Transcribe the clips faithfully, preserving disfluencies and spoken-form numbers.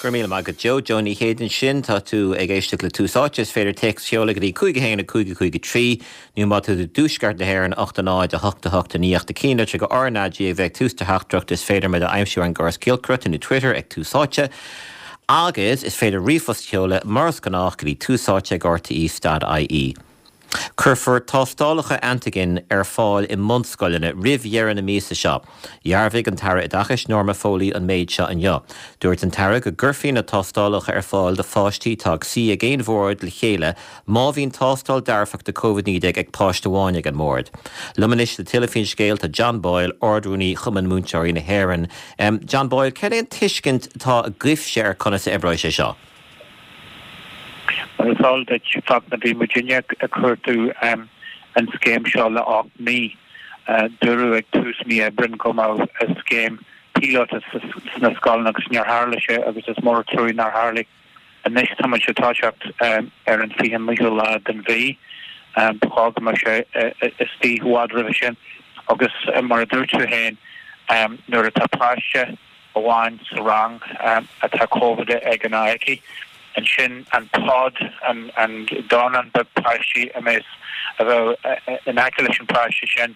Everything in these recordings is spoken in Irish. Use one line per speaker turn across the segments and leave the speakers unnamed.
Go raibh míle maith agat Joe Joe Ní Chéide ansin tá tú ag éisteacht le Tús Áite is féidir téacs a sheoladh go dtí cúig a haon a cúig a cúig a trí nó má tá tú i dtuaisceart na hÉireann ocht a náid a hocht a hocht a naoi ocht a ceathair trí go RnaG a bheidh tús do theachtaireacht is féidir muid a aimsiú ar an gcóras giolcaireachta nó Twitter ag Tús Áite. Agus is féidir ríomhphost a sheoladh mar is gnách go dtí tús áite ag RTE dot IE. Cuirfear tástálacha antaigin ar fáil i mbunscoileanna roimh dheireadh na míosa seo. Dhearbhaigh an tAire Oideachais Norma Foley an méid seo inniu. Dúirt an tAire go gcuirfí na tástálacha ar fáil do pháistí atá ag suí ag aon bhord le chéile má bhíonn tástáil dearfach de Covid naoi déag ag páiste amháin ag an mbord. Liom anois le tuilleadh faoin scéal tá John Boyle, Ard-Rúnaí Chumann Múinteoirí na hÉireann. John Boyle, cad é an tuiscint atá agaibhse ar conas a oibreoidh sé seo?
Mar is eol duit, Fachtna, bhí muidinne ag cuartú an scéim seo le ocht mí. Dúradh ag tús mí Aibreáin go mbeadh scéim píolóta sna scoileanna agus níor tharla sé agus is mór an trua nár tharla. Anois tá muid ag toiseacht ar an fiche naoú lá den mhí. Ba chóir go mbeadh sé istigh i bhfad roimhe sin agus mar a dúirt tú féin nuair atá páiste amháin sa rang atá Covid aige nó aici, ansin an pod, an an dornán beag páistí a mbeas a bheadh in aice leis an bpáiste sin,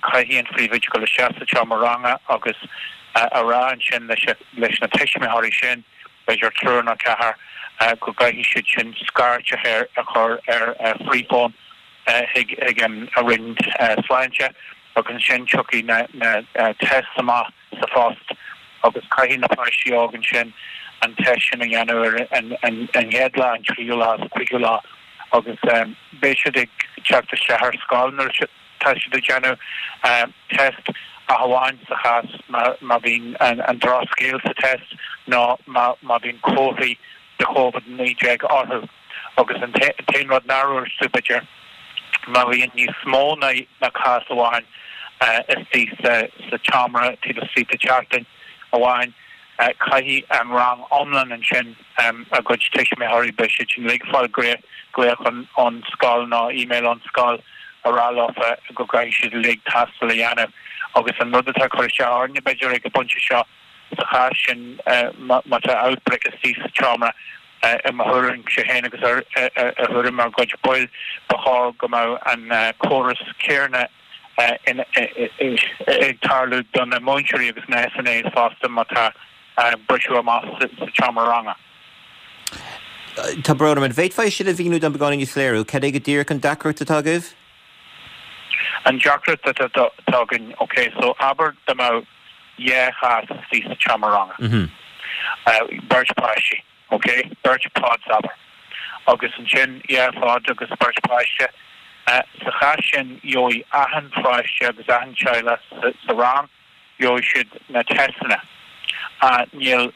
caithfidh an phríomhoide dul isteach sa tseomra ranga agus a rá ansin leis leis na tuismitheoirí sin, b'fhéidir triúr nó ceathair, go gcaithfidh siad sin scairt a chur ar Freephone chuig chuig an Roinn Sláinte agus ansin tiocfaidh na na tests amach sa phost agus caithfidh na páistí óga ansin an test sin a dhéanamh ar an chéad lá, an tríú lá is an cúigiú lá agus beidh siad ag teacht isteach ar scoil nuair atá siad ag déanamh test ach amháin sa chás má bhíonn an drochscéal sa test nó má bhíonn comharthaí de Covid naoi déag orthu. Agus an t-aon rud nár dhúirt tú b'fhéidir, má bhíonn níos mó ná cás amháin istigh sa tseomra taobh istigh de sheachtain amháin, caithfidh an rang iomlán ansin a gcuid tuismitheoirí, beidh siad sin uilig ag fáil glaoch ón scoil nó email ón scoil a rá leofa go gcaithfidh siad uilig tástáil a dhéanamh. Agus an rud atá ag cur isteach orainne b'fhéidir ag an bpointe seo sa chás sin má tá outbreak istigh sa tseomra, i mo thuairimse féin agus i thuairim ár gcuid baill, ba chóir go mbeadh an córas céanna ag tarlú do na múinteoirí agus na SNAs fosta má tá briseadh amach sa tseomra ranga.
Tá brón orm, an bhféadfá é sin a mhíniú dom beagáinín níos soiléire? Cad é go díreach an deacracht atá agaibh?
An deacracht atá againn, ok, so abair dá mbeadh dhá chás istigh sa tseomra ranga, beirt páistí. Ok, beirt pods abair. Agus ansin dhá phod agus beirt páiste. Sa chás sin gheobhaidh achan pháiste agus achan teaghlach sa rang, gheobhaidh siad na teisteanna. Níl,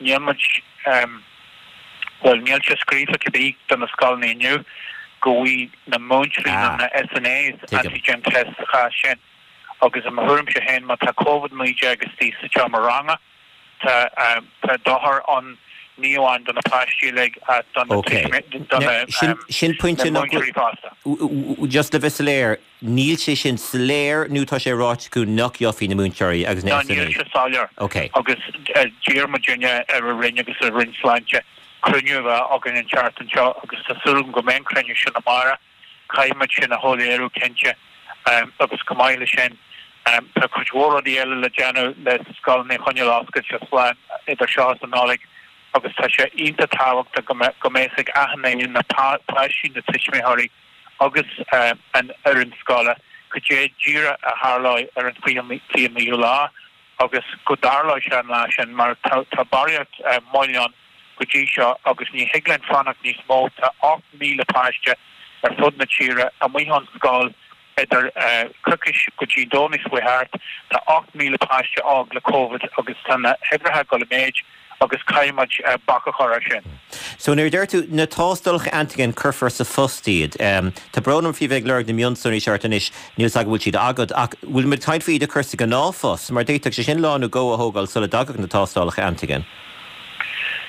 níl muid, bhuel níl sé scríofa cibé do na scoileanna inniu go bhfaighidh na múinteoirí nó na SNAs antigen test sa chás sin. Agus i mo thuairimse féin má tá Covid naoi déag istigh sa tseomra ranga, Tá tá dochar ann ní amháin do na páistí uilig ach do na
Ok.
do na
Sin sin pointe
na
nach
múinteoirí fosta.
Just le bheith soiléir, níl sé sin soiléir nó tá sé ráite acu nach gheobhaidh na múinteoirí agus na
No, níl
SNAs?
sé soiléir.
Ok.
Agus d'iarr muidinne ar an Roinn agus ar an Roinn Sláinte cruinniú a bheith againn an tseachtain seo agus tá súil agam go mbeidh an cruinniú sin amárach. Caithfidh muid sin a shoiléiriú cinnte agus chomh maith leis sin tá cuid mhór rudaí eile le déanamh le scoileanna a choinneáil oscailte slán idir seo is an Nollaig agus tá sé iontach tábhachtach go mbeidh a fhios ag achan duine, na páistí, na tuismitheoirí agus an fhoireann scoile cad é díreach a tharlóidh ar an fiche naoú lá agus go dtarlóidh sé an lá sin mar tá barraíocht moill ann go dtí seo agus ní thig linn fanacht níos mó. Tá ocht míle páiste ar fud na tíre amuigh ón scoil idir coicís go dtí an Domhnach seo thart. Tá ocht míle páiste óg le Covid agus tá na huimhreacha ag dul i méid agus caithfidh muid bac a chur air sin.
So nuair a deir tú na tástálacha antigen cuirfear sa phost iad. Tá brón orm faoi bheith ag lorg na mionsonraí seo ort anois, níl 's agam an bhfuil siad agat, ach bhfuil muid ag caint faoi iad a chur sa ghnáthphost mar d'fhéadfadh sé sin lá nó dhó a thógáil sula dtagadh na tástálacha antigen.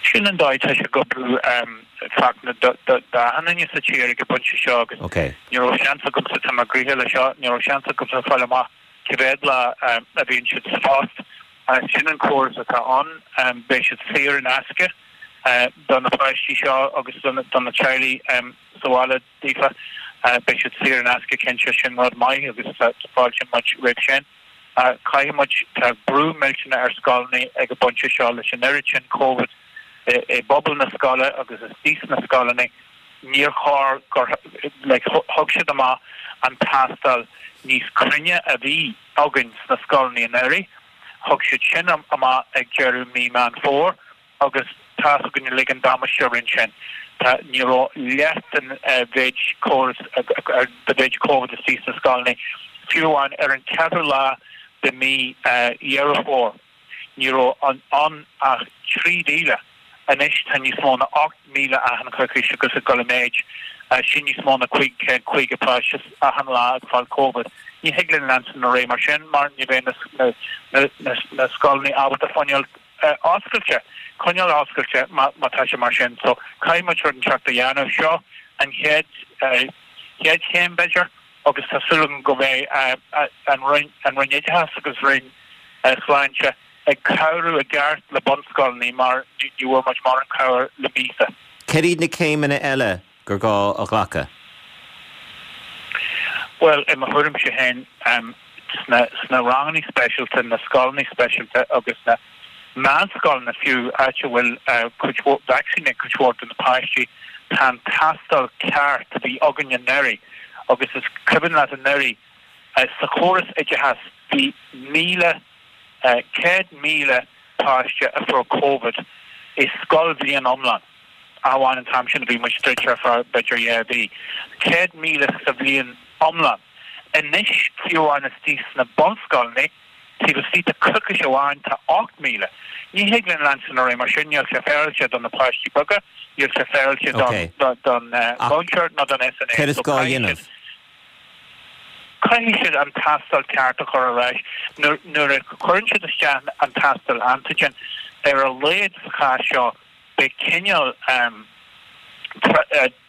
Sin an dóigh atá sé ag oibriú Fachtna d'achan duine sa tír ag an bpointe seo agus ní raibh seans agamsa, tá mé gnoitheach le seo, ní raibh seans agamsa fáil amach cé mhéad lá a bhíonn siad sa phost Sin an córas atá ann, beidh siad saor in aisce do na páistí seo agus do na teaghlaigh sa bhaile daofa. Beidh siad saor in aisce cinnte, sin rud maith agus tá fáilte muid roimh sin. Caithfidh muid, tá brú millteanach ar scoileanna ag an bpointe seo leis an oiread sin Covid i bpobal na scoile agus istigh sna scoileanna. Níor chóir gur, like, thug siad amach an tástáil níos cruinne a bhí againn sna scoileanna anuraidh. Thug siad sin amach ag deireadh mí Meán Fómhair agus tá's againn uilig an damáiste a rinne sin. Tá, ní raibh leath den mhéid córas, de mhéid Covid istigh sna scoileanna, fiú amháin ar an ceathrú lá de mí Dheireadh Fómhair. Ní raibh ann ach trí mhíle. Anois tá níos mó ná ocht míle achan choicís agus ag dul i méid. Sin níos mó ná cúig chéad caoga páiste achan lá ag fáil Covid. Ní thig linn leanstan ar aghaidh mar sin mar ní bheidh na scoileanna ábalta fáil oscailte, coinneáil oscailte má tá sé mar sin. So caithfidh muid rud inteacht a dhéanamh. Seo an chéad chéad chéim b'fhéidir agus tá súil agam go mbeidh an Roinn Oideachais agus Roinn Sláinte ag cabhrú i gceart le bunscoileanna mar ní bhfuair muid mórán cabhair le míosa.
Cad iad na céimeanna eile gur gá a ghlacadh?
Bhuel, i mo thuairimse féin, sna sna ranganna speisialta, na scoileanna speisialta agus na meánscoileanna fiú, áit a bhfuil cuid mhór vacsaín ag cuid mhór de na páistí, tá an tástáil ceart a bhí againn anuraidh agus is cuimhin leat anuraidh, sa chóras oideachais bhí míle, céad míle páiste a fuair Covid i scoilbhliain iomlán, amháin an t-am sin a bhí muid druidte ar feadh b'fhéidir dhá mhí. Céad míle sa bhliain iomlán. Anois, fiú amháin istigh sna bunscoileanna, taobh istigh de choicís amháin tá ocht míle. Ní thig linn leanstan ar aghaidh mar sin, níl sé féaráilte do na páistí beaga, níl sé féaráilte don mhúinteoir ná don SNA.
Céard is gá a dhéanamh?
Caithfidh siad an tástáil ceart a chur ar ais. Nuair a chuireann siad isteach an tástáil antigen, ar a laghad sa chás seo, beidh cineál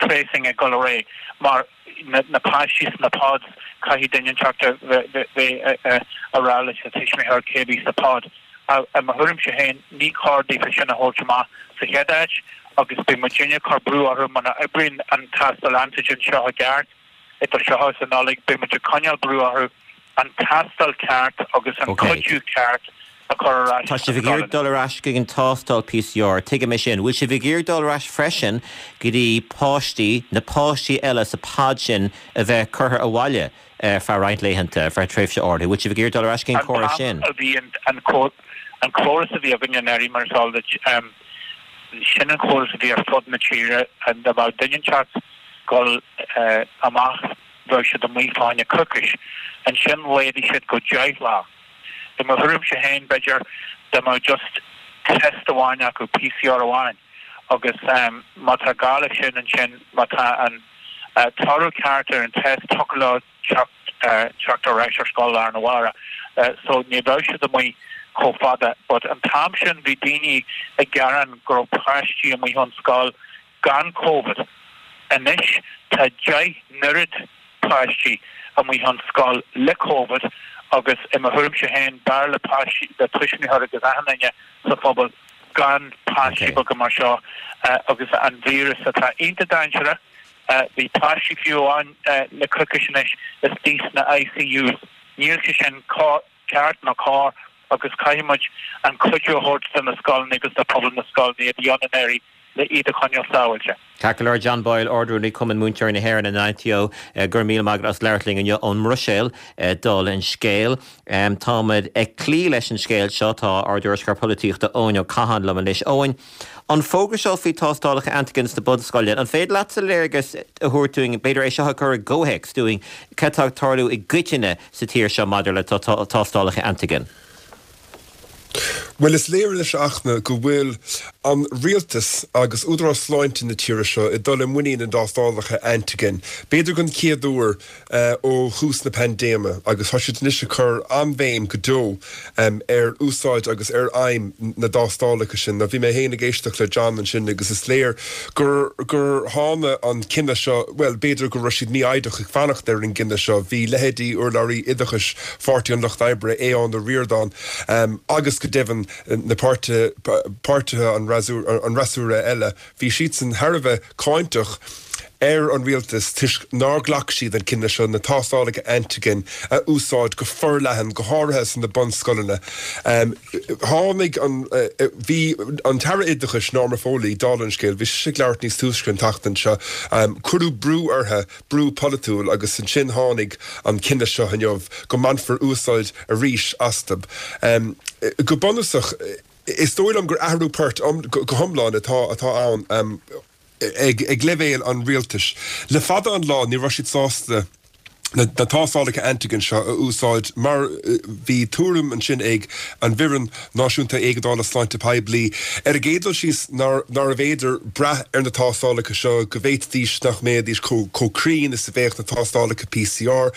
tracing ag dul ar aghaidh mar na páistí sna pods, caithfidh duine inteacht a bheith a rá leis na tuismitheoir cé bhí sa pod. I mo thuairimse féin, ní chóir daofa sin a thabhairt amach sa chéad áit agus beidh muidinne ag cur brú orthu muna oibríonn an tástáil antigen seo i gceart. Idir seo is an Nollaig, beidh muid ag coinneáil brú orthu an tástáil ceart agus an cuidiú ceart a chur ar ais
Tá sibh ag iarraidh dul ar ais chuig an tástáil PCR, tuigim é sin. Bhfuil sibh ag iarraidh dul ar ais freisin go dtí páistí, na páistí eile sa pod sin a bheith curtha abhaile ar feadh roinnt laethanta, ar feadh tréimhse áirithe? Bhfuil sibh ag iarraidh dul ar ais chuig an córas sin?
An t-am a bhí an córas a bhí againn anuraidh, mar is eol duit, sin an córas a bhí ar fud na tíre, dá mbeadh duine inteacht dul amach bheadh siad amuigh fá choinne coicís. Ansin laghdaigh siad go deich lá. I mo thuairimse féin b'fhéidir dá mbeadh just test amháin acu, PCR amháin, agus má tá gá leis sin ansin má tá an toradh ceart ar an test thiocfadh leo teacht teacht ar ais ar scoil lá arna mhárach. So ní bheadh siad amuigh chomh fada. But an t-am sin bhí daoine ag gearán go raibh páistí amuigh ón scoil gan Covid. Anois tá deich n-oiread páistí amuigh ón scoil le Covid agus i mo thuairimse féin b'fhearr le páistí, le tuismitheoirí agus achan duine sa phobal gan páistí beaga mar seo agus an víreas atá iontach dainséarach. Bhí páistí fiú amháin le coicís anois istigh sna ICUs. Níl sé sin ceart ná cóir agus caithfidh muid an cuidiú a thabhairt do na scoileanna agus do phobal na scoileanna a bhí ann anuraidh le iad a choinneáil sábháilte.
Ceart go leor, John Boyle, Ard-Rúnaí Cumann Múinteoirí na hÉireann, an ITO, go raibh míle maith agat as labhairt linn inniu ón mBruiséil, dála an scéil. Táimid ag cloí leis an scéal seo, tá ár dtuairisceoir polaitíochta Eoin Ó Catháin liom anois. Eoin, an fógra seo faoi tástálacha antigen sna bunscoileanna, an féidir leatsa léargas a thabhairt dúinn, b'fhéidir é seo a chur i gcomhthéacs dúinn, cad tá ag tarlú i gcoitinne sa tír seo maidir le tástálacha antigen?
Bhuel, is léir anois, a Fhachtna, go bhfuil an rialtas agus Údarás Sláinte na tíre seo ag dul i muinín na dtástálacha antigen, b'fhéidir den chéad uair ó thús na paindéime, agus tá siad anois ag cur an-bhéim go deo ar úsáid agus ar fheidhm na dtástálacha sin. Bhí mé féin ag éisteacht le John ansin agus is léir gur gur tháinig an cinneadh seo, bhuel, b'fhéidir go raibh siad mífhoighdeach ag fanacht ar an gcinneadh seo. Bhí leithéidí urlabhraí oideachais Pháirtí an Lucht Oibre, Aodhán Ó Ríordáin, agus go deimhin na páirtithe an fhreasúra eile, bhí siadsan thar a bheith cáinteach ar an rialtas toisc nár ghlac siad an cinneadh seo na tástálacha antigen a úsáid go forleathan, go háirithe sna bunscoileanna. Tháinig an, bhí an tAire Oideachais, Norma Foley, dála an scéil, bhí sise ag labhairt níos túisce an tseachtain seo, cuireadh brú uirthi, brú polaitiúil, agus ansin tháinig an cinneadh seo inniu go mbainfear úsáid arís astu. Go bunúsach, is dóigh liom gur athrú poirt go hiomlán atá atá ann ag ag leibhéal an rialtais. Le fada an lá ní raibh siad sásta na tástálacha antigen seo a úsáid mar bhí tuairim ansin ag an bhFoireann Náisiúnta Éigeandála Sláinte Poiblí ar an gcéad dul síos nárbh fhéidir brath ar na tástálacha seo, go bhféadfaidís nach mbeidís chomh cruinn is a bheadh na tástálacha P C R.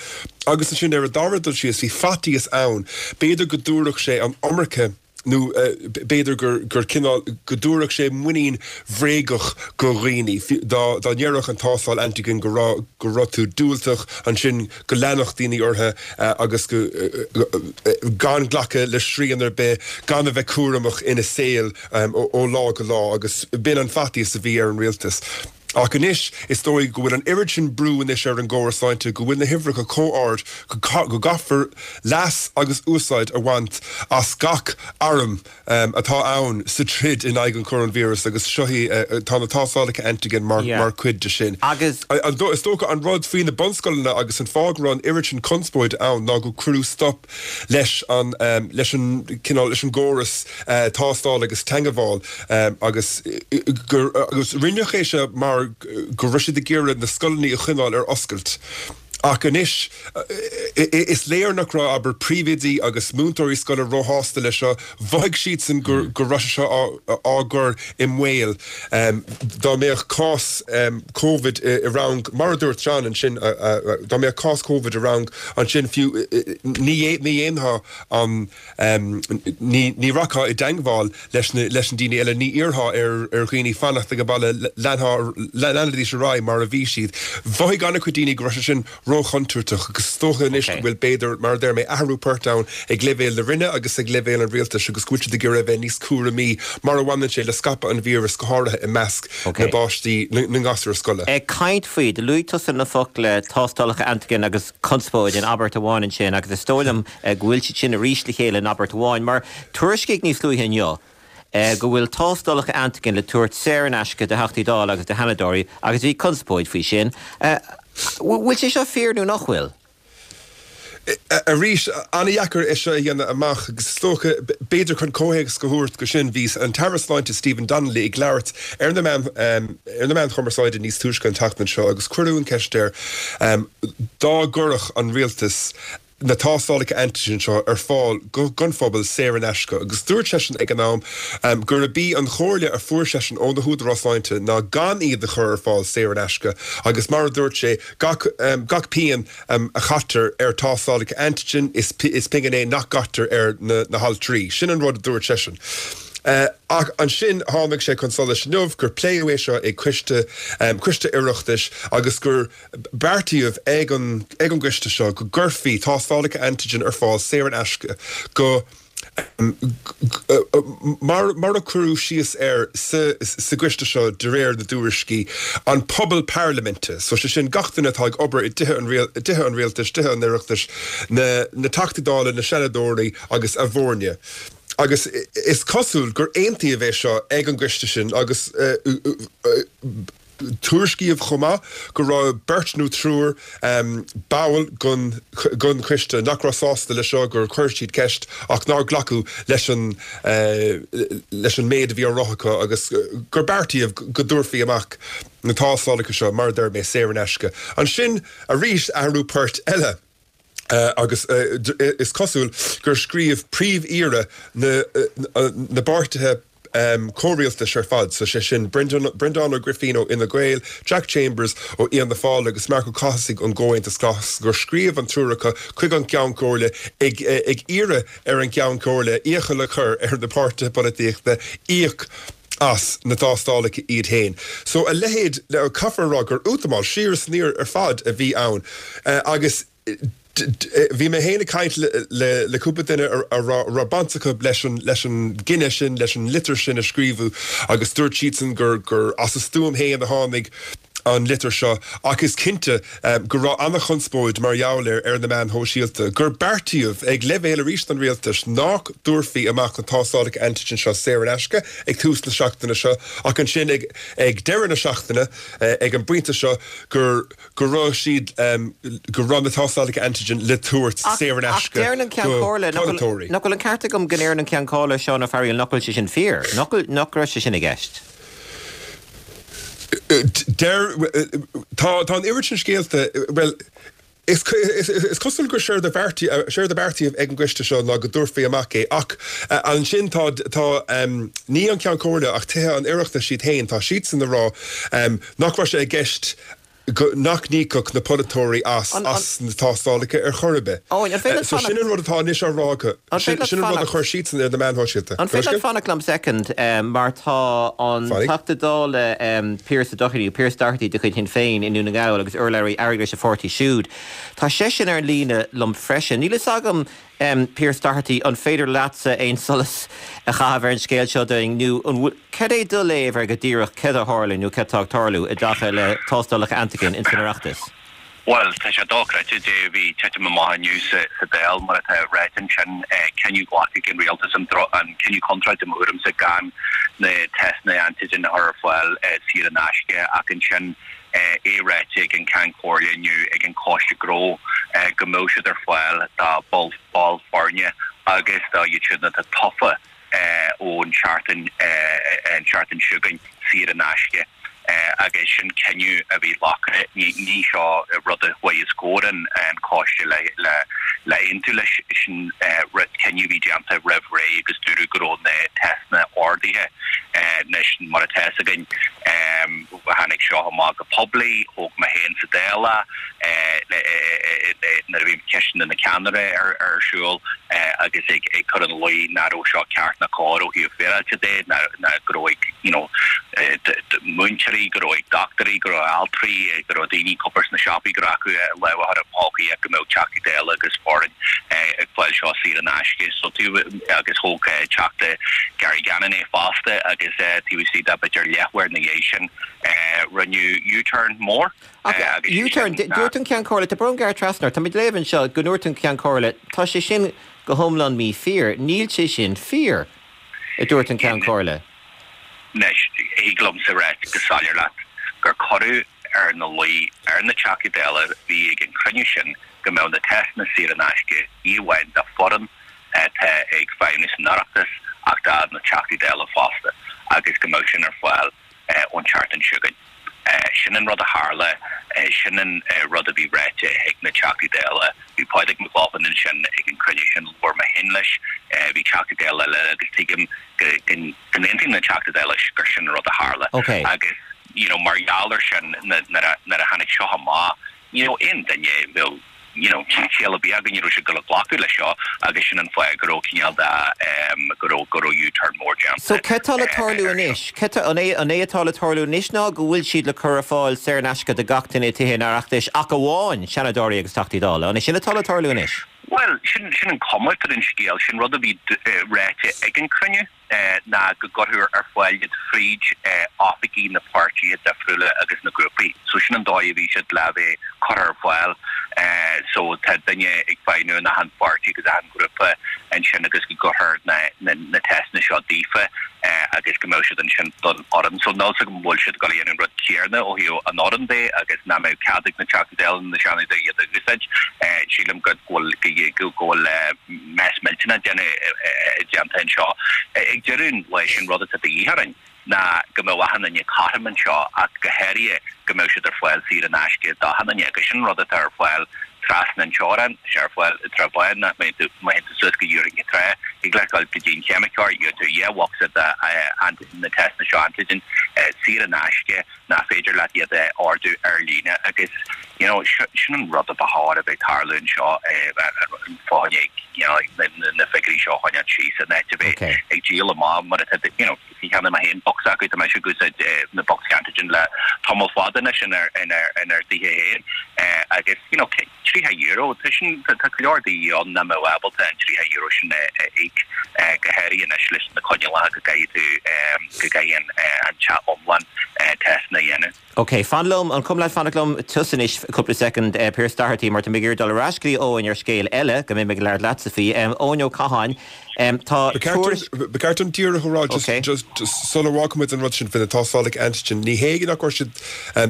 Agus ansin ar an dara dul síos bhí faitíos ann, b'fhéidir go dtabharfadh sé an iomarca nó b'fhéidir gur gur cineál go dtabharfadh sé muinín bhréagach go dhaoine dá dá ndéarfadh an tástáil antigen go raibh go raibh tú diúltach, ansin go leanfadh daoine orthu agus go gan glacadh le srian ar bith, gan a bheith cúramach ina saol ó lá go lá, agus b'in an faitíos a bhí ar an rialtas. Ach anois is dóigh go bhfuil an oiread sin brú anois ar an gcóras sláinte, go bhfuil na huimhreacha chomh hard go gcaithfear leas agus úsáid a bhaint as gach arm atá ann sa troid in aghaidh an choróinvíreas, agus seo í, tá na tástálacha antigen mar mar chuid de sin.
Agus.
Is dócha an rud faoi na bunscoileanna agus an fáth go raibh an oiread sin conspóide ann ná go cuireadh stop leis an leis an cineál leis an gcóras tástáil agus teagmháil agus gur agus rinneadh é seo mar go raibh siad ag iarraidh na scoileanna a choinneáil ar oscailt. Ach anois is léir nach raibh, abair, príomhoidí agus múinteoirí scoile róshásta leis seo. Mhothaigh siadsan go go raibh sé seo á gcur i mbaol. Dá mbeadh cás Covid i rang, mar a dúirt John ansin, dá mbeadh cás Covid i rang ansin fiú, ní ní dhéanfá an ní ní rachfá i dteagmháil leis na leis na daoine eile, ní iarrfá ar ar dhaoine fanacht ag an baile, leanfaidís ar aghaidh mar a bhí siad. Mhothaigh an-chuid daoine go raibh sé sin róchontúirteach agus is dócha anois go bhfuil b'fhéidir, mar a deir mé, athrú poirt ann ag leibhéal na Roinne agus ag leibhéal an rialtais agus go bhfuil siad ag iarraidh a bheith níos cúramaí mar a bhaineann sé le scaipeadh an víreas, go háirithe i measc na bpáistí, na ngasúr scoile.
Ag caint faoi, do luaigh tusa na focla tástálacha antigen agus conspóid in abairt amháin ansin agus is dóigh liom go bhfuil siad sin arís le chéile in abairt amháin mar tuairiscíodh níos luaithe inniu go bhfuil tástálacha antigen le tabhairt saor in aisce do Theachtaí Dála agus do Sheanadóirí agus bhí conspóid faoi sin. Bhfuil sé seo fíor nó nach bhfuil?
Arís, an-dheacair é seo a dhéanamh amach agus is dócha, b'fhéidir chun comhthéacs a thabhairt go sin, bhí an tAire Sláinte Stephen Donnelly ag labhairt ar na meáin ar na meáin chumarsáide níos túisce an tseachtain seo agus cuireadh an cheist air dá gcuirfeadh an rialtas na tástálacha antigen seo ar fáil don phobal saor in aisce agus dúirt seisean ag an am gurb í an chomhairle a fuair seisean ó na húdaráis sláinte ná gan iad a chur ar fáil saor in aisce agus mar a dúirt sé gach gach pingin a chaitear ar tástálacha antigen is is pingin é nach gcaitear ar na na haltraí. Sin an rud a dúirt seisean. Ach ansin tháinig sé chun solais inniu gur pléadh é seo ag coiste coiste Oireachtais agus gur beartaíodh ag an ag an gcoiste seo go gcuirfí tástálacha antigen ar fáil saor in aisce go mar mar a cuireadh síos air sa sa gcoiste seo de réir na dtuairiscí, an pobal parlaiminte, so sé sin gach duine atá ag obair i dtithe an dtithe an rialtais, tithe an Oireachtais, na na Teachtaí Dála, na Seanadóirí agus a bhfoirne. Agus is cosúil gur aontaíodh é seo ag an gcoiste sin agus tuairiscíodh chomh maith go raibh beirt nó triúr ball den den choiste nach raibh sásta leis seo, gur chuir siad ceist ach nár glacadh leis an leis an méid a bhí á rá acu agus gur beartaíodh go dtabharfaí amach na tástálacha seo, mar a deir mé, saor in aisce. Ansin arís athrú poirt eile. Agus is cosúil gur scríobh príomh-aoire na na bpáirtithe comhrialtais ar fad, so sé sin Breandán Ó Grifín ó Fhine Gael, Jack Chambers ó Fhianna Fáil agus Marc Ó Cathasaigh ón gComhaontas Glas, gur scríobh an triúr acu chuig an gCeann Comhairle ag ag iarraidh ar an gCeann Comhairle iachall a chur ar na páirtithe polaitíochta íoc as na tástálacha iad féin. So a leithéid, caithfear a rá gur útamáil siar is aniar ar fad a bhí ann agus bhí mé féin ag caint le cúpla duine a raibh baint acu leis an leis an gcinneadh sin, leis an litir sin a scríobhadh agus dúirt siadsan gur gur as a stuaim féin a tháinig an litir seo ach is cinnte go raibh an-chonspóid mar gheall air ar na meáin shóisialta, gur beartaíodh ag leibhéal arís an rialtais nach dtabharfaí amach na tástálacha antigen seo saor in aisce ag tús na seachtaine seo ach ansin ag ag deireadh na seachtaine ag an bpointe seo gur go raibh siad go raibh na tástálacha antigen le tabhairt saor in aisce
do pholaiteoirí. Nach bhfuil an ceart agam go ndeireann an Ceann Comhairle Seán Ó Fearghaíl nach bhfuil sé sin fíor? Nach nach raibh sé sin i gceist?
Deir, tá tá an oiread sin scéalta, bhuel, is is cosúil gur séard a bheartaíodh séard a beartaíodh ag an gcoiste seo ná go dtabharfaí amach é ach ansin tá tá ní an Ceann Comhairle ach Tithe an Oireachtais iad féin, tá siadsan ag rá nach raibh sé i gceist go nach n-íocfadh na polaiteoirí as as na tástálacha ar chor ar bith. So sin an rud atá anois á rá acu. Sin an rud a chuir siadsan ar na meáin shóisialta.
An féidir leat fanacht liom soicind mar tá an Teachta Dála Pearse Doherty, Pearse Doherty de chuid Shinn Féin i nDún na nGall agus urlabhraí airgeadais an pháirtí siúd, tá seisean ar an líne liom freisin. Níl fhios agam Pearse Doherty, an féidir leatsa aon solas a chaitheamh ar an scéal seo dúinn nó an bhfuil, cad é do léamh ar go díreach céard a tharla nó céard atá ag tarlú i dtaca le tástálacha antigen ins an Oireachtas?
Bhuel, tá sé dochreidte, Dave, bhí titim amach inniu sa Dáil, mar atá ráite ansin, cinneadh glactha ag an rialtas, an cinneadh contráilte i mo thuairimse, gan na teisteanna antigen a chur ar fáil saor in aisce ach ansin é ráite ag an Ceann Comhairle inniu ag an Choiste Gnó go mbeadh siad ar fáil do bhaill foirne agus do iad siúd atá tofa ón tseachtain an tseachtain seo chugainn saor in aisce agus sin cinneadh a bhí glactha. Ní seo rud a chuaigh os comhair an choiste le le aontú leis, sin cinneadh a bhí déanta roimh ré agus dúradh go raibh na teisteanna ordaithe. Anois mar atá fhios againn, Tháinig seo amach go poiblí, thóg mé féin sa Dáil é nuair a bhí ceisteanna na ceannaire ar siúl agus ag cur ina luí nach raibh seo ceart ná cóir ó thaobh féaráilte de, ná go raibh ag you know múinteoirí, go raibh ag dochtúirí, go raibh altraí, go raibh daoine ag obair sna siopaí, go raibh acu lámh a chur i bpóca go mbeadh Teachtaí Dála agus foireann ag fáil seo saor in aisce. So agus thóg Teachta Gary Gannon é fosta agus taobh istigh de b'fhéidir leathuair ina dhiaidh sin rinneadh U-turn mór
agus U-turn, dúirt an Ceann Comhairle, tá brón gearradh trasna ort, táimid ag léamh anseo go ndúirt an Ceann Comhairle, tá sé sin go hiomlán mífhíor, níl sé sin fíor, a dúirt an Ceann Comhairle.
Anois, thig liomsa ráit go soiléir leat gur cuireadh ina luí ar na Teachtaí Dála a bhí ag an chruinniú sin go mbeadh na teisteanna saor in aisce ní amháin do foireann atá ag feidhmiú san Oireachtas ach do na Teachtaí Dála fosta agus go mbeadh sin ar fáil ón tseachtain seo chugainn. Sin an rud a tharla, sin an rud a bhí ráite ag na Teachtaí Dála. Bhí Pádraig Mac Lochlainn ansin ag an chruinniú sin, labhair mé féin leis, bhí Teachtaí Dála eile agus tuigim go n-aontaíonn na Teachtaí Dála leis gur sin an rud a tharla. Agus you know mar gheall air sin nuair a tháinig seo amach, you know aon duine bheadh you know ciall ar bith acu ní raibh siad ag dul a ghlacadh leis seo agus sin an fáth go raibh cineál de em go raibh go raibh U-turn mór déanta
So céard tá le tarlú anois? Céard tá an é an é atá le tarlú anois ná go bhfuil siad le cur ar fáil saor in aisce do gach duine i Tithe an Oireachtais ach amháin Seanadóirí agus Teachtaí Dála. An é sin atá le tarlú anois?
Bhuel sin sin an cuma atá ar an scéal, sin rud a bhí ráite ag an cruinniú. ná go gcuirfear ar fáil iad fríd oifigí na páirtithe difriúla agus na grúpaí. So sin an dóigh a bhí siad le bheith curtha ar fáil. So tá duine ag feidhmiú in achan pháirtí agus achan ghrúpa ansin agus go gcuirfear na na teisteanna seo daofa agus go mbeadh siad ansin don fhoireann. So níl 's agam an bhfuil siad ag dul a dhéanamh an rud céanna ó thaobh an fhoireann de agus nach mbeadh cead ag na Teachtaí Dála na Seanadóirí iad a úsáid. Sílim go bhfuil go bhfuil mess millteanach déanta anseo. Ag deireadh an lae, sin rud atá de dhíth orainn ná go mbeadh achan duine cothrom anseo ach go háirithe go mbeadh siad ar fáil saor in aisce d'achan duine agus sin rud atá ar fáil trasna an teorainn, tá sé ar fáil i dTrá Bháin, má théann tú suas go Iúr Cinn Trá, thig leat dul go dtí an ceimiceoir, gheobhaidh tú dhá bhocsa de na teisteanna seo antigen saor in aisce nach féidir leat iad a ordú ar líne agus you know sin an rud a ba chóir a bheith ag tarlú anseo an fáth you know na figiúirí seo a choinneáil síos in áit a bheith ag díol amach mar atá you know cheannaigh mé féin bocsa acu tá mise ag úsáid na bocsaí antigen le tamall fada anois inár inár dtithe féin agus you know tríocha euro tá sin tá go leor daoine ann nach mbeadh ábalta an tríocha euro sin a íoc go háirithe anois leis na coinníollacha go gcaithfidh tú go gcaithfidh an an teach iomlán teisteanna a dhéanamh.
Ok, fan liom, an cuma leat fanacht liom tusa anois cúpla soicind, Pearse Doherty, mar tá mé ag iarraidh dul ar ais go dtí Eoin ar scéal eile, go mbeidh mé ag labhairt leatsa faoi. Eoin Ó Catháin, tá
tuairisc. Ba cheart dom díreach a rá, just just sula bhfágfaimid an rud sin faoi na tástálacha antigen, ní hé nach raibh siad,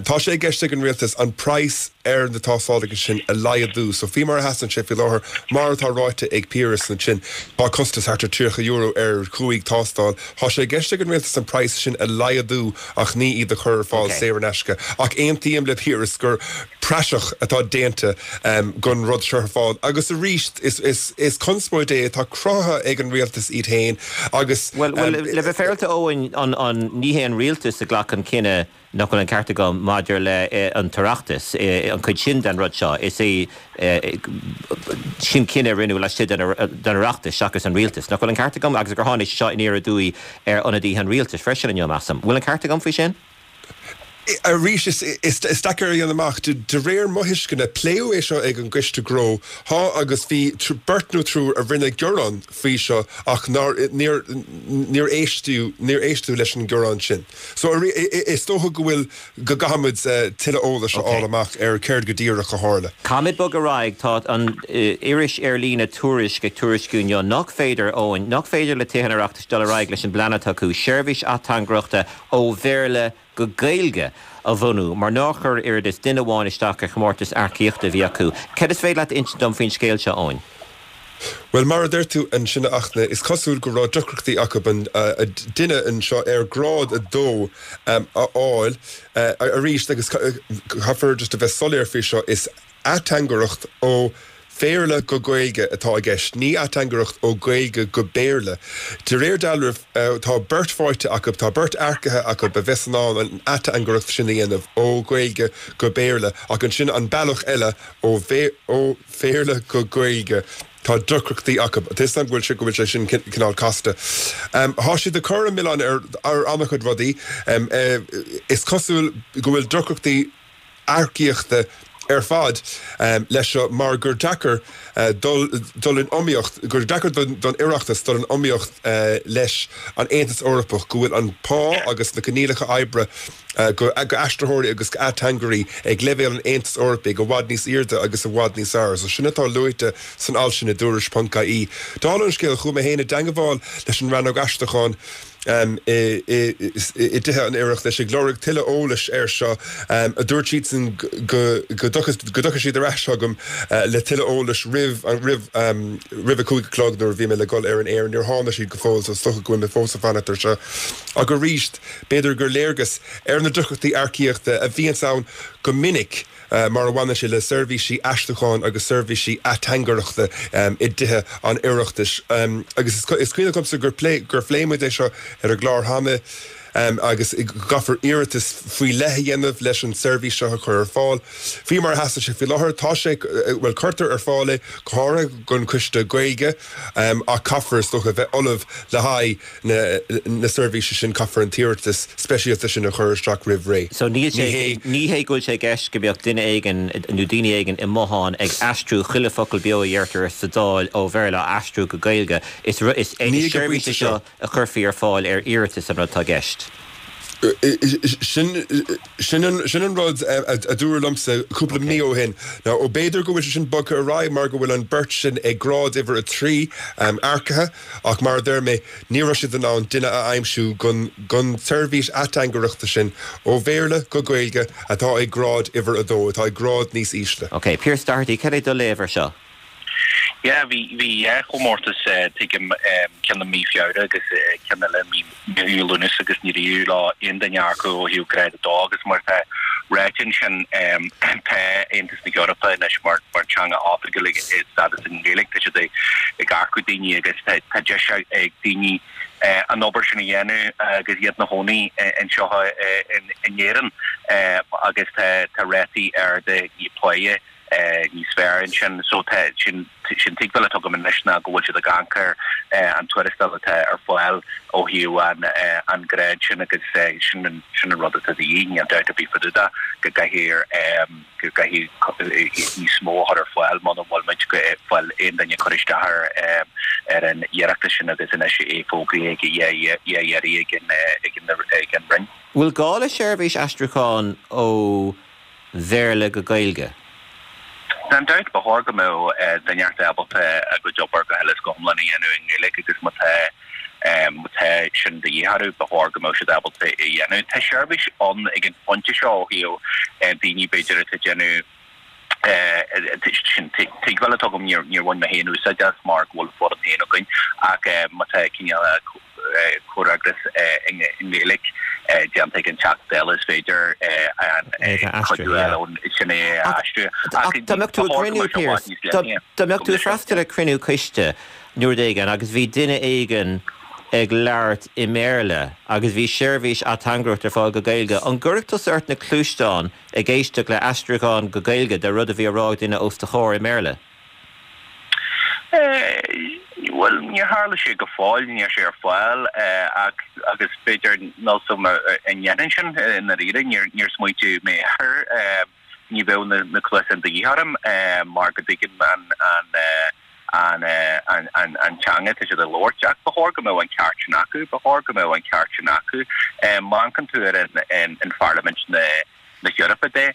tá sé i gceist ag an rialtas an praghas ar na tástálacha sin a laghdú. So faoi mar a sheasann sé faoi láthair, mar atá ráite ag Piaras ansin, tá costas thart ar tríocha euro ar chúig tástáil. Tá sé i gceist ag an rialtas an praghas sin a laghdú ach ní iad a chur ar fáil saor in aisce. Ach aontaím le Piaras gur praiseach atá déanta gon rud seo ar fáil. Agus arís, is conspóid é atá cruthaithe ag an rialtas iad féin agus.
Bhuel, le bheith féaráilte Eoin, ní hé an rialtas a ghlac an cinneadh Nach bhfuil an ceart agam maidir le an tOireachtas, an chuid sin den rud seo, is é sin cinneadh a rinneadh laistigh den Oireachtas seachas an rialtas. Nach bhfuil an ceart agam? Agus gur tháinig sé seo aniar aduaidh ar ionadaithe an rialtais freisin inniu, measaim. Bhfuil an ceart agam faoi sin?
Arís, is deacair a dhéanamh amach. De réir mo thuisceana, pléadh é seo ag an gCoiste Gnó, thá, agus bhí beirt nó triúr a rinne gearán faoi seo ach nár, níor, níor éisteadh, níor éisteadh leis an ngearán sin. So, is dócha go bhfuil, go gcaithfimid tuilleadh eolais a fháil amach ar céard go díreach a tharla.
Caithfimid bogadh ar aghaidh. Tá an iris ar líne Tuairisc ag tuairisciú inniu nach féidir, Eoin, nach féidir le Tithe an Oireachtais dul ar aghaidh leis an bplean atá acu seirbhís ateangaireachta ó Bhéarla go Gaeilge a bhunú mar nár chuir oiread is duine amháin isteach ar chomórtas earcaíochta a bhí acu. Céard is féidir leat a insint dom faoin scéal seo, Eoin?
Bhuel, mar a deir tú ansin a Fhachtna, is cosúil go raibh deacrachtaí acu an duine anseo ar grád a dó a fháil arís agus caithfear just a bheith soiléir faoi seo, is ateangaireacht ó Bhéarla go Gaeilge atá i gceist, ní ateangaireacht ó Ghaeilge go Béarla. De réir dealraimh, tá beirt faighte acu, tá beirt earcaithe acu a bheas in ann an ateangaireacht sin a dhéanamh ó Ghaeilge go Béarla ach ansin an bealach eile ó Bhéarla go Gaeilge, tá deacrachtaí acu. Tá 'fhios agam go bhfuil sé go bhfuil sé sin cineál casta. Tá siad ag cur an milleán ar ar an-chuid rudaí. Is cosúil go bhfuil deacrachtaí earcaíochta ar fad leis seo mar gur deacair dul dul in iomaíocht, gur deacair don Oireachtas dul in iomaíocht leis an Aontas Eorpach, go bhfuil an pá agus na coinníollacha oibre go aistritheoirí agus go ateangairí ag leibhéal an Aontais Eorpaigh i bhfad níos airde agus i bhfad níos fearr. So sin atá luaite san alt sin i dTuairisc ponc ie. Dála an scéil, chuaigh mé féin i dteangmháil leis an Rannóg Aistriúcháin, i dTithe an Oireachtais ag lorg tuilleadh eolais air seo. Dúirt siadsan go dtiocfadh siad ar ais chugam le tuilleadh eolais roimh roimh a cúig a chlog nuair a bhí mé le dhul ar an aer. Níor tháinig siad go fóill so is dócha go bhfuil mé fós ag fanacht air seo. Ach arís, b'fhéidir gur léargas ar na deacrachtaí earcaíochta a bhíonns ann go minic, mar a bhaineann sé le seirbhísí aistriúcháin agus seirbhísí ateangaireachta i dTithe an Oireachtais. Agus is cuimhin liomsa gur gur phléigh muid é seo ar an gclár cheana agus go gcaithfear iarratas faoi leith a dhéanamh leis an tseirbhís seo a chur ar fáil. Faoi mar a sheasann sé faoi láthair, tá sé, bhuel, cuirtear ar fáil é go háirithe don Choiste Gaeilge ach caithfear, is dócha, a bheith ullamh le haghaidh na seirbhíse sin, caithfear an t-iarratas speisialta sin a chur isteach roimh ré.
So níl sé, ní hé go bhfuil sé i gceist go mbeadh duine éigin nó daoine éigin i mbothán ag aistriú chuile focal beo a dheirtear sa Dáil ó Bhéarla á aistriú go Gaeilge. Is is seirbhís é seo a chuirfí ar fáil ar iarratas an rud atá i gceist.
Sin sin an rud a dúradh liomsa cúpla mí ó shin. Now, ó b'fhéidir go bhfuil sé sin bogtha ar aghaidh mar go bhfuil an bheirt sin ag grád uimhir a trí earcaithe ach mar a deir mé, ní raibh siad in ann duine a aimsiú don don tseirbhís ateangaireachta sin ó Bhéarla go Gaeilge atá ag grád uimhir a dó, atá ag grád níos ísle.
Ok, Pearse Doherty, cad é do léamh ar seo?
Yeah, bhí bhí dhá chomórtas, tuigim, ceann i mí Feabhra agus ceann eile i mí Lúnasa agus níor éirigh le aon duine acu ó thaobh grád a dó agus mar atá Ráite ansin, tá Aontas na hEorpa anois mar teanga oifigiúil ag stádas an Ghaeilge, tá siad ag earcú daoine agus tá deis ag daoine an obair sin a dhéanamh agus iad ina gcónaí anseo in Éirinn agus tá rátaí arda páighe níos fearr ansin. So tá sin sin tuigbheáil atá agam anois ná go bhfuil siad ag amharc ar an tuarastal atá ar fáil ó thaobh an an grád sin agus sin an sin an rud atá de dhíth, níl dabht ar bith fá dtaobh de go gcaithfidh go gcaithfidh níos mó a chur ar fáil muna bhfuil muid ag fáil aon duine ag cur isteach ar ar an iarratas sin agus anois é fógraithe ag dhá iarraidh ag an ag an ag an Roinn.
Bhfuil gá le seirbhís aistriúcháin ó Bhéarla go Gaeilge?
Gan dabht, ba chóir go mbeadh duine inteacht ábalta a gcuid obair go huile is go hiomlán a dhéanamh i nGaeilge agus má tá má tá sin de dhíth orthu, ba chóir go mbeadh siad ábalta é a dhéanamh. Tá seirbhís ann ag an phointe seo ó thaobh daoine b'fhéidir atá ag déanamh sin tuigbheáil atá agam, níor níor bhain mé féin úsáid as mar go bhfuil foireann féin againn ach má tá cineál comhfhreagras i nGaeilge déanta ag an Teachta Dála is féidir an cuidiú a fháil sin é a aistriú.
Ach dá mbeadh tú ag cruinniú, Pearse, dá mbeadh tú ag freastal ar chruinniú coiste nó rud éigin agus bhí duine éigin ag labhairt i mBéarla agus bhí seirbhís ateangaireachta ar fáil go Gaeilge, an gcuirfeadh tusa ort na cluaisteáin ag éisteacht le aistriúchán go Gaeilge de rud a bhí á rá ag duine os do chomhair i mBéarla?
Bhuel, níor tharla sé go fóill, níl sé ar fáil ach agus b'fhéidir níl 's agam an ndéanfainn sin i ndáiríre, níor níor smaointigh mé air. Ní bheadh na na cluasáin de dhíth orm mar go dtuigim an an an an an an teanga atá siad ag labhairt ach ba chóir go mbeadh an ceart sin acu, ba chóir go mbeadh an ceart sin acu. Má amharcann tú ar an an Pharlaimint na na hEorpa de,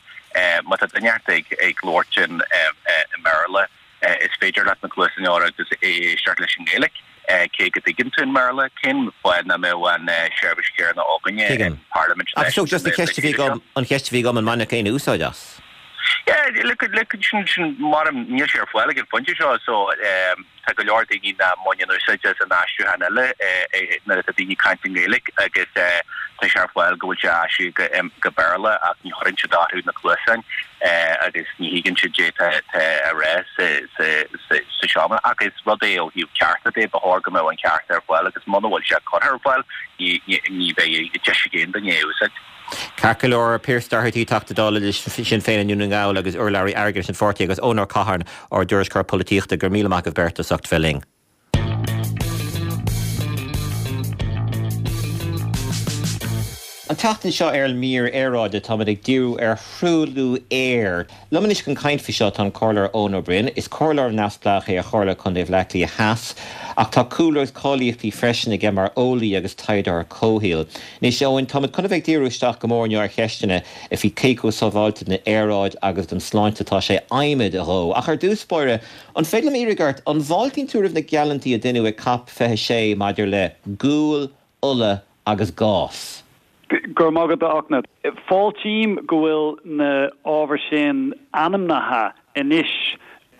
má tá duine ag ag labhairt in i mBéarla, Is féidir leat na cluasáin a chur agus éisteacht leis an nGaeilge, cé go dtuigeann tú an mBéarla. Cén fáth nach mbeadh an seirbhís chéanna againne
Tuigim.
in Parlaimint
Ach so just an cheist a bhí agam, an cheist a bhí agam an mbainfeadh éinne úsáid as?
Yeah, look, look, sin, sin, mar níl sé ar fáil ag an phointe seo, so tá go leor daoine nach mbaineann úsáid as an aistriúchán eile nuair atá daoine ag caint i nGaeilge agus tá sé ar fáil go bhfuil sé aistrithe go Béarla ach ní chuireann siad orthu na cluasáin agus ní thuigeann siad cad é atá á rá sa seomra. Ach is rud é ó thaobh cearta de, ba chóir go mbeadh an ceart ar fáil agus muna bhfuil sé curtha ar fáil ní bheidh deis ag aon duine é a úsáid.
Ceart go leor, Pearse Doherty, Teachta Dála le Sinn Féin i nDún na nGall agus urlabhraí airgeadais an pháirtí agus Eoin Ó Catháin, ár dtuairisceoir polaitíochta, go raibh míle maith agaibh beirt as ucht bheith linn. An tseachtain seo ar an mír aeráide táimid ag díriú ar thruailliú aeir. Liom anois chun caint faoi seo tá an Comhairleoir Eoin Ó Broin. Is comhairleoir neamhspleách é ar Chomhairle Contae Bhaile Átha Cliath Theas ach tá cúlra agus cáilíochtaí freisin aige mar eolaí agus taighdeoir comhshaoil. Anois Eoin, táimid chun a bheith ag díriú isteach go mór inniu ar cheisteanna faoi cé chomh sábháilte don aeráid agus don sláinte atá sé adhmad a dhó. Ach ar dtús báire, an féidir liom iarraidh ort, an bhfáiltíonn tú roimh na geallúintí a deineadh ag Cop fiche sé maidir le gual, ola agus gás?
Go raibh maith agat, a Fhachtna. Fáiltím go bhfuil na ábhair sin ainmnithe anois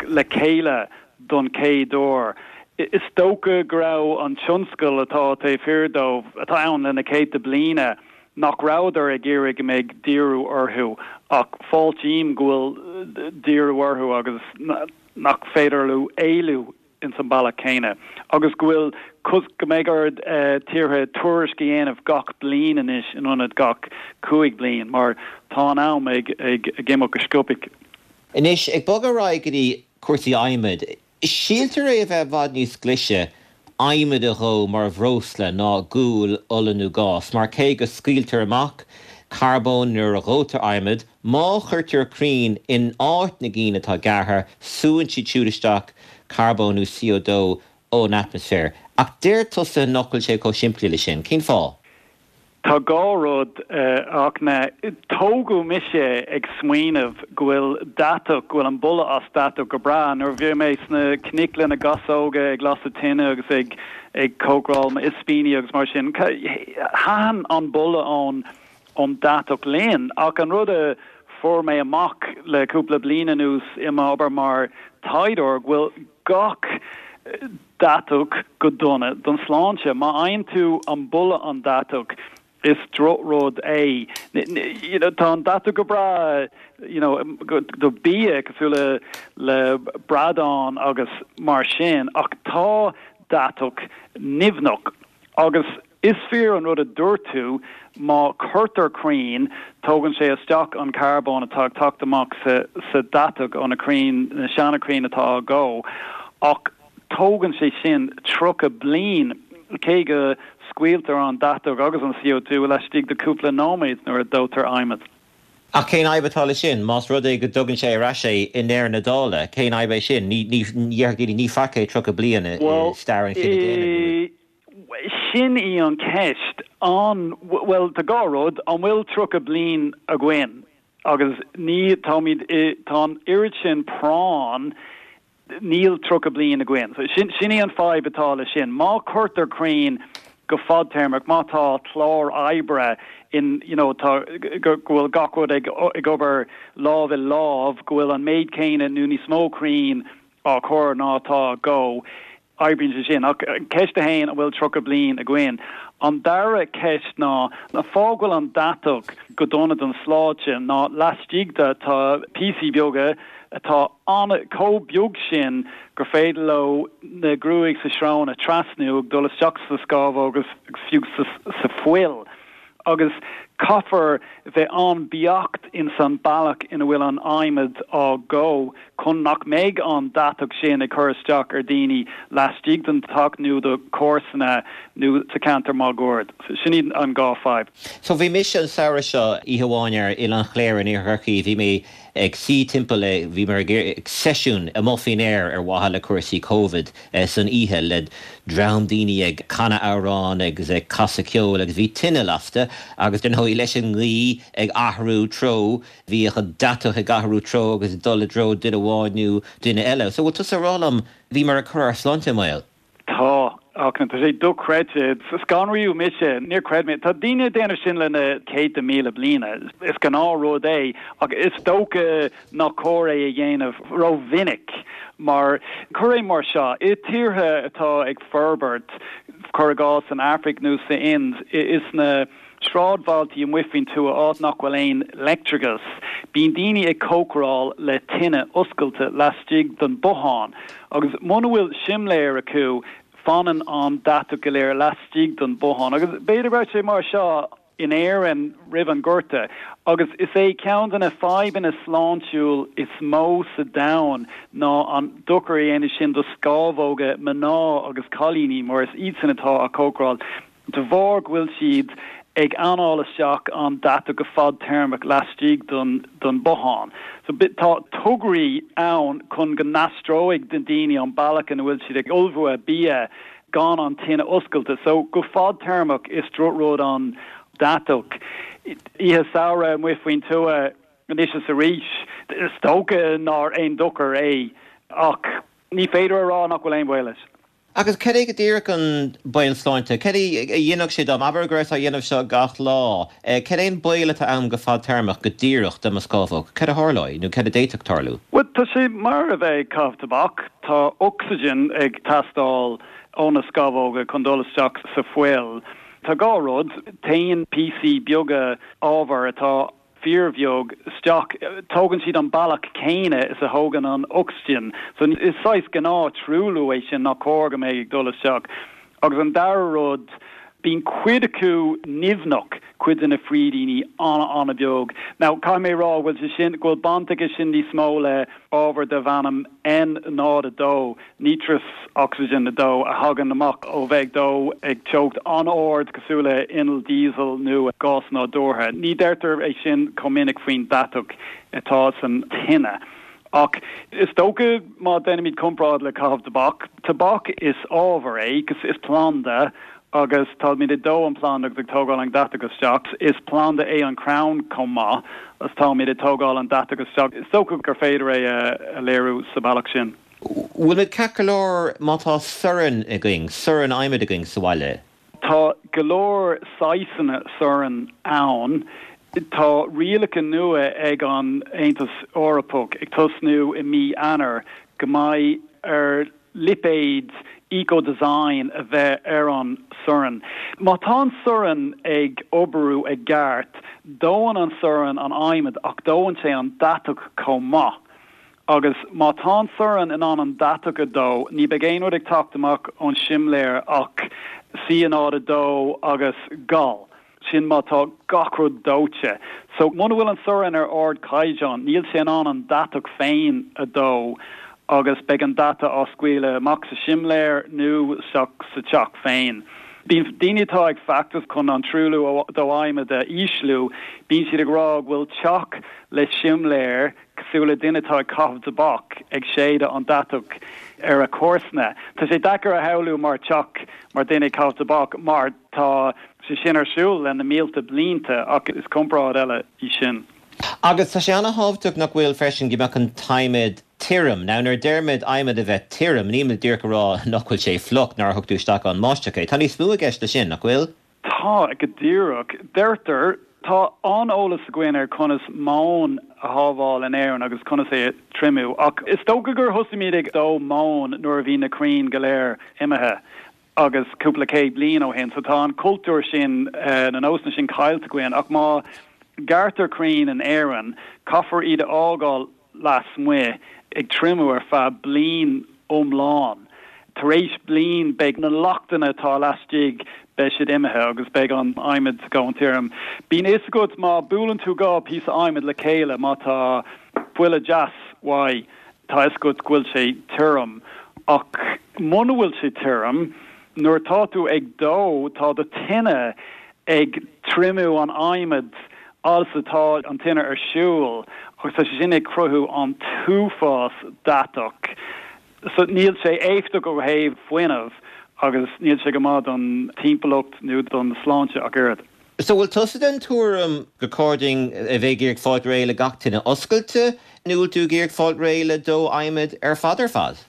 le chéile don chéad uair. Is dócha go raibh an tionscal atá taobh thiar dóibh, atá ann le na céadta bliana, nach rabhadar ag iarraidh go mbeidh díriú orthu ach fáiltím go bhfuil díriú orthu agus nach féidir leo éalú ins an bealach céanna agus go bhfuil go mbeidh ar tíortha tuairisc a dhéanamh gach bliain anois in ionad gach cúig bliain mar tá an am ag ag imeacht go sciobtha.
Anois, ag bogadh ar aghaidh go dtí cúrsaí adhmaid, síltear é a bheith i bhfad níos glaise adhmad a dhó mar bhreosla ná gual, ola nó gás, mar cé go scaoiltear amach carbón nuair a dhóitear adhmad, má chuirtear crainn in áit na gcinn atá gearrtha, súann siad siúd isteach carbón nó C O dó ón atmaisféar. Ach deir tusa nach bhfuil sé chomh simplí le sin. Cén fáth?
Tá dhá rud, a Fhachtna. Tógadh mise ag smaoineamh go bhfuil deatach, go bhfuil an boladh as deatach go breá. Nuair a bhí mé sna cnoic le na gasóga ag lasadh tine agus ag ag cócaráil m'ispíní agus mar sin, thaitin an boladh ón ón deatach linn. Ach an rud a fuair mé amach le cúpla bliain anuas i m'obair mar taighdeoir go bhfuil gach deatach go dona don sláinte. Má fhaigheann tú an boladh an deatach, Is drochrud é. You know, tá an deatach go breá you know, do bia cosúil le le bradán agus mar sin ach tá deatach nimhneach agus is fíor an rud a dúirt tú má cuirtear crainn tógann sé isteach an carbón atá ag teacht amach sa sa deatach ó na crainn na seana crainn atá á dhó ach tógann sé sin tríocha bliain cé go scaoiltear an deatach agus an C O two laistigh de cúpla nóiméad nuair a dóitear adhmad.
Ach cén fhadhb atá leis sin? Más rud é go dtugann sé ar ais é i ndeireadh na dála, cén fhadhb é sin? Ní déarfadh daoine, ní faic é tríocha bliain i stair an chine daonna.
Sin í an ceist. An, bhuel, tá dhá rud, an bhfuil tríocha bliain againn? Agus ní, táimid i, tá an oiread sin práinn, níl tríocha bliain againn. So sin, sin í an fadhb atá leis sin. Má cuirtear crainn go fadtéarmach, má tá clár oibre in, you know, tá, go, go bhfuil gach rud ag, ag obair lámh i lámh, go bhfuil an méid céanna nó níos mó crainn á cur ná atá á dhó, oibríonn sé sin. Ach ceist a haon, an bhfuil tríocha bliain againn? An dara ceist ná, an fáth go bhfuil an deatach go dona don sláinte ná laistigh de tá píosaí beaga atá an chomh beag sin gur féidir leo na gruaig sa srón a trasnú ag dul isteach sa scamhóg agus fiú sa fuil. Agus caithfear bheith an-bheacht in san bealach ina bhfuil an adhmad á dhó chun nach mbeidh an deatach sin ag cur isteach ar daoine laistigh den teach nó do chomharsana nó sa ceantar máguaird. Sin iad an dhá fadhb.
So bhí mise an samhradh seo oíche amháin ar Oileán Chléire in Iarthar Chorcaí, bhí mé ag suí timpeall le, bhíomar ag seisiún amuigh faoin aer ar mhaithe le cúrsaí Covid san oíche le dream daoine ag canadh amhrán agus ag casadh ceoil agus bhí tine lasta agus dar ndóigh leis an ngaoth ag athrú treo bhíodh an deatach ag athrú treo agus ag dul i dtreo duine amháin nó duine eile. So bhfuil tusa ag rá liom bhíomar ag cur ár sláinte i mbaol?
Tá, ach tá sé dochreidte. Scanraíodh mise, níor chreid mé. Tá daoine ag déanamh sin le na céadta míle bliana. Is gnáthrud é, ach is dócha nach cóir é a dhéanamh rómhinic. Mar, cuir é mar seo, i tíortha atá ag forbairt, cuir i gcás san Afraic nó sa Ind, is na sráidbhailtí amuigh faoin tuath, áit nach bhfuil aon leictreachas, bíonn daoine ag cócaráil le tine oscailte laistigh den bothán agus muna bhfuil simléar acu, fanann an deatach go léir laistigh den bothán. Agus b'fhéidir go raibh sé mar seo in Éirinn roimh an Gorta agus is é ceann de na fadhbanna sláintiúil is mó sa domhan ná an dochar a dhéanann sin do scamhóga mná agus cailíní mar is iadsan atá á cócaráil. De bharr go bhfuil siad ag anáil isteach an deatach go fadtéarmach laistigh den den bothán. So tá tograí ann chun go n-aistreoidh na daoine an bealach ina bhfuil siad ag ullmhú a bia gan an tine oscailte. So go fadtéarmach is drochrud an deatach. Oíche samhraidh amuigh faoin tuath anois is arís, is dócha nár aon dochar é ach ní féidir a rá nach bhfuil aon bhaol leis.
Agus cad é go díreach an baol sláinte? Cad é a dhéanfadh sé dom? Abair go rabhas á dhéanamh seo gach lá. Cad é an baol atá ann go fadtéarmach go díreach do mo scamhóg? Cad a tharlóidh nó cad a d'fhéadfadh tarlú?
Bhuel, tá sé mar a bheith ag caitheamh tobac. Tá ocsaigin ag teastáil ó na scamhóga chun dul isteach sa fuil. Tá dhá rud, téann píosaí beaga ábhair atá fíorbheag isteach, tógann siad an bealach céanna is a thógann an ocsaigin. So is saghas gnáth truailliú é sin nach cóir go mbeidh ag dul isteach. Agus an dara rud, bíonn cuid acu nimhneach, cuid de na frídíní an-an-bheag. Now caithfidh mé a rá go bhfuil sé sin, go bhfuil baint aige sin níos mó le ábhar darb ainm N náid a dó, nítrous ocsaigin a dó, a thagann amach ó bheith ag dó ag teocht an-ard cosúil le inneall diesel nó gás nádúrtha. Ní deirtear é sin chomh minic faoin deatach atá san tine. Ach is dócha má déanaimid comparáid le caitheamh tobac, tobac is ábhar é, is planda agus táimid ag dó an planda agus ag tógáil an deatach isteach. Is planda é an crann chomh maith agus táimid ag tógáil an deatach isteach. Is dócha gur féidir é a léiriú sa bhealach sin.
Bhfuil muid ceart go leor má tá sorn againn, sorn adhmaid againn sa bhaile?
Tá go leor saghsanna sorn ann. Tá rialacha nua ag an Aontas Eorpach ag tosnú i mí Eanáir go mbeidh ar lipéid eco-design a bheith ar an sorn. Má tá an sorn ag oibriú i gceart, dóann an sorn an adhmad ach dóann sé an deatach chomh maith. Agus má tá an sorn in ann an deatach a dó, ní beidh aon rud ag teacht amach ón simléar ach C náid a dó agus gal. Sin má tá gach rud dóite. So muna bhfuil an sorn ar ardchaighdeán, níl sé in ann an deatach féin a dó agus beidh an deatach á scaoileadh amach sa simléar nó sa teach féin. Bíonn daoine atá ag feachtas chun an truailliú ó adhmad a ísliú, bíonn siad ag rá go bhfuil teach le simléar cosúil le duine atá ag caitheamh tobac ag séideadh an deatach ar a comharsana. Tá sé deacair a shamhlú mar teach mar duine ag caitheamh tobac mar tá sé sin ar siúl le na mílte blianta ach is comparáid eile í sin.
Agus tá sé an-thábhachtach nach bhfuil freisin go mbeadh an t-adhmad tirim. Now nuair a deirimid adhmad a bheith tirim, nílimid díreach ag rá nach bhfuil sé fliuch nár thug tú isteach ann báisteach é. Tá níos mó i gceist leis sin, nach bhfuil?
Tá, go díreach. Deirtear, tá an-eolas againn ar conas móin a shábháil in Éirinn agus conas é a triomú, ach is dócha gur thosaigh muid ag dó móin nuair a bhí na crainn go léir imithe agus cúpla céad bliain ó shin. So tá an cultúr sin, na nósanna sin caillte againn, ach má gearrtar crainn in Éirinn, caithfear iad a fhágáil lasmuigh ag triomú ar feadh bliain iomlán. Tar éis bliain beidh na lochtanna atá laistigh, beidh siad imithe agus beidh an adhmad go tirim. Bíonn fhios agat má buaileann tú dhá píosa adhmaid le chéile, má tá buille deas uaidh, tá fhios agat go bhfuil sé tirim. Ach muna bhfuil sé tirim, nuair atá tú ag dó, tá do tine ag triomú an adhmaid agus atá an tine ar siúl agus tá sé sin ag cruthú an t-uafás deatach. So níl sé éifeachtach ó thaobh fuinnimh agus níl sé go maith don timpeallacht nó don sláinte ach oiread.
So bhfuil tusa den tuairim gur chóir dúinn a bheith ag iarraidh fáil réidh le gach tine oscailte nó bhfuil tú ag iarraidh fáil réidh le dó adhmaid ar fad ar fad?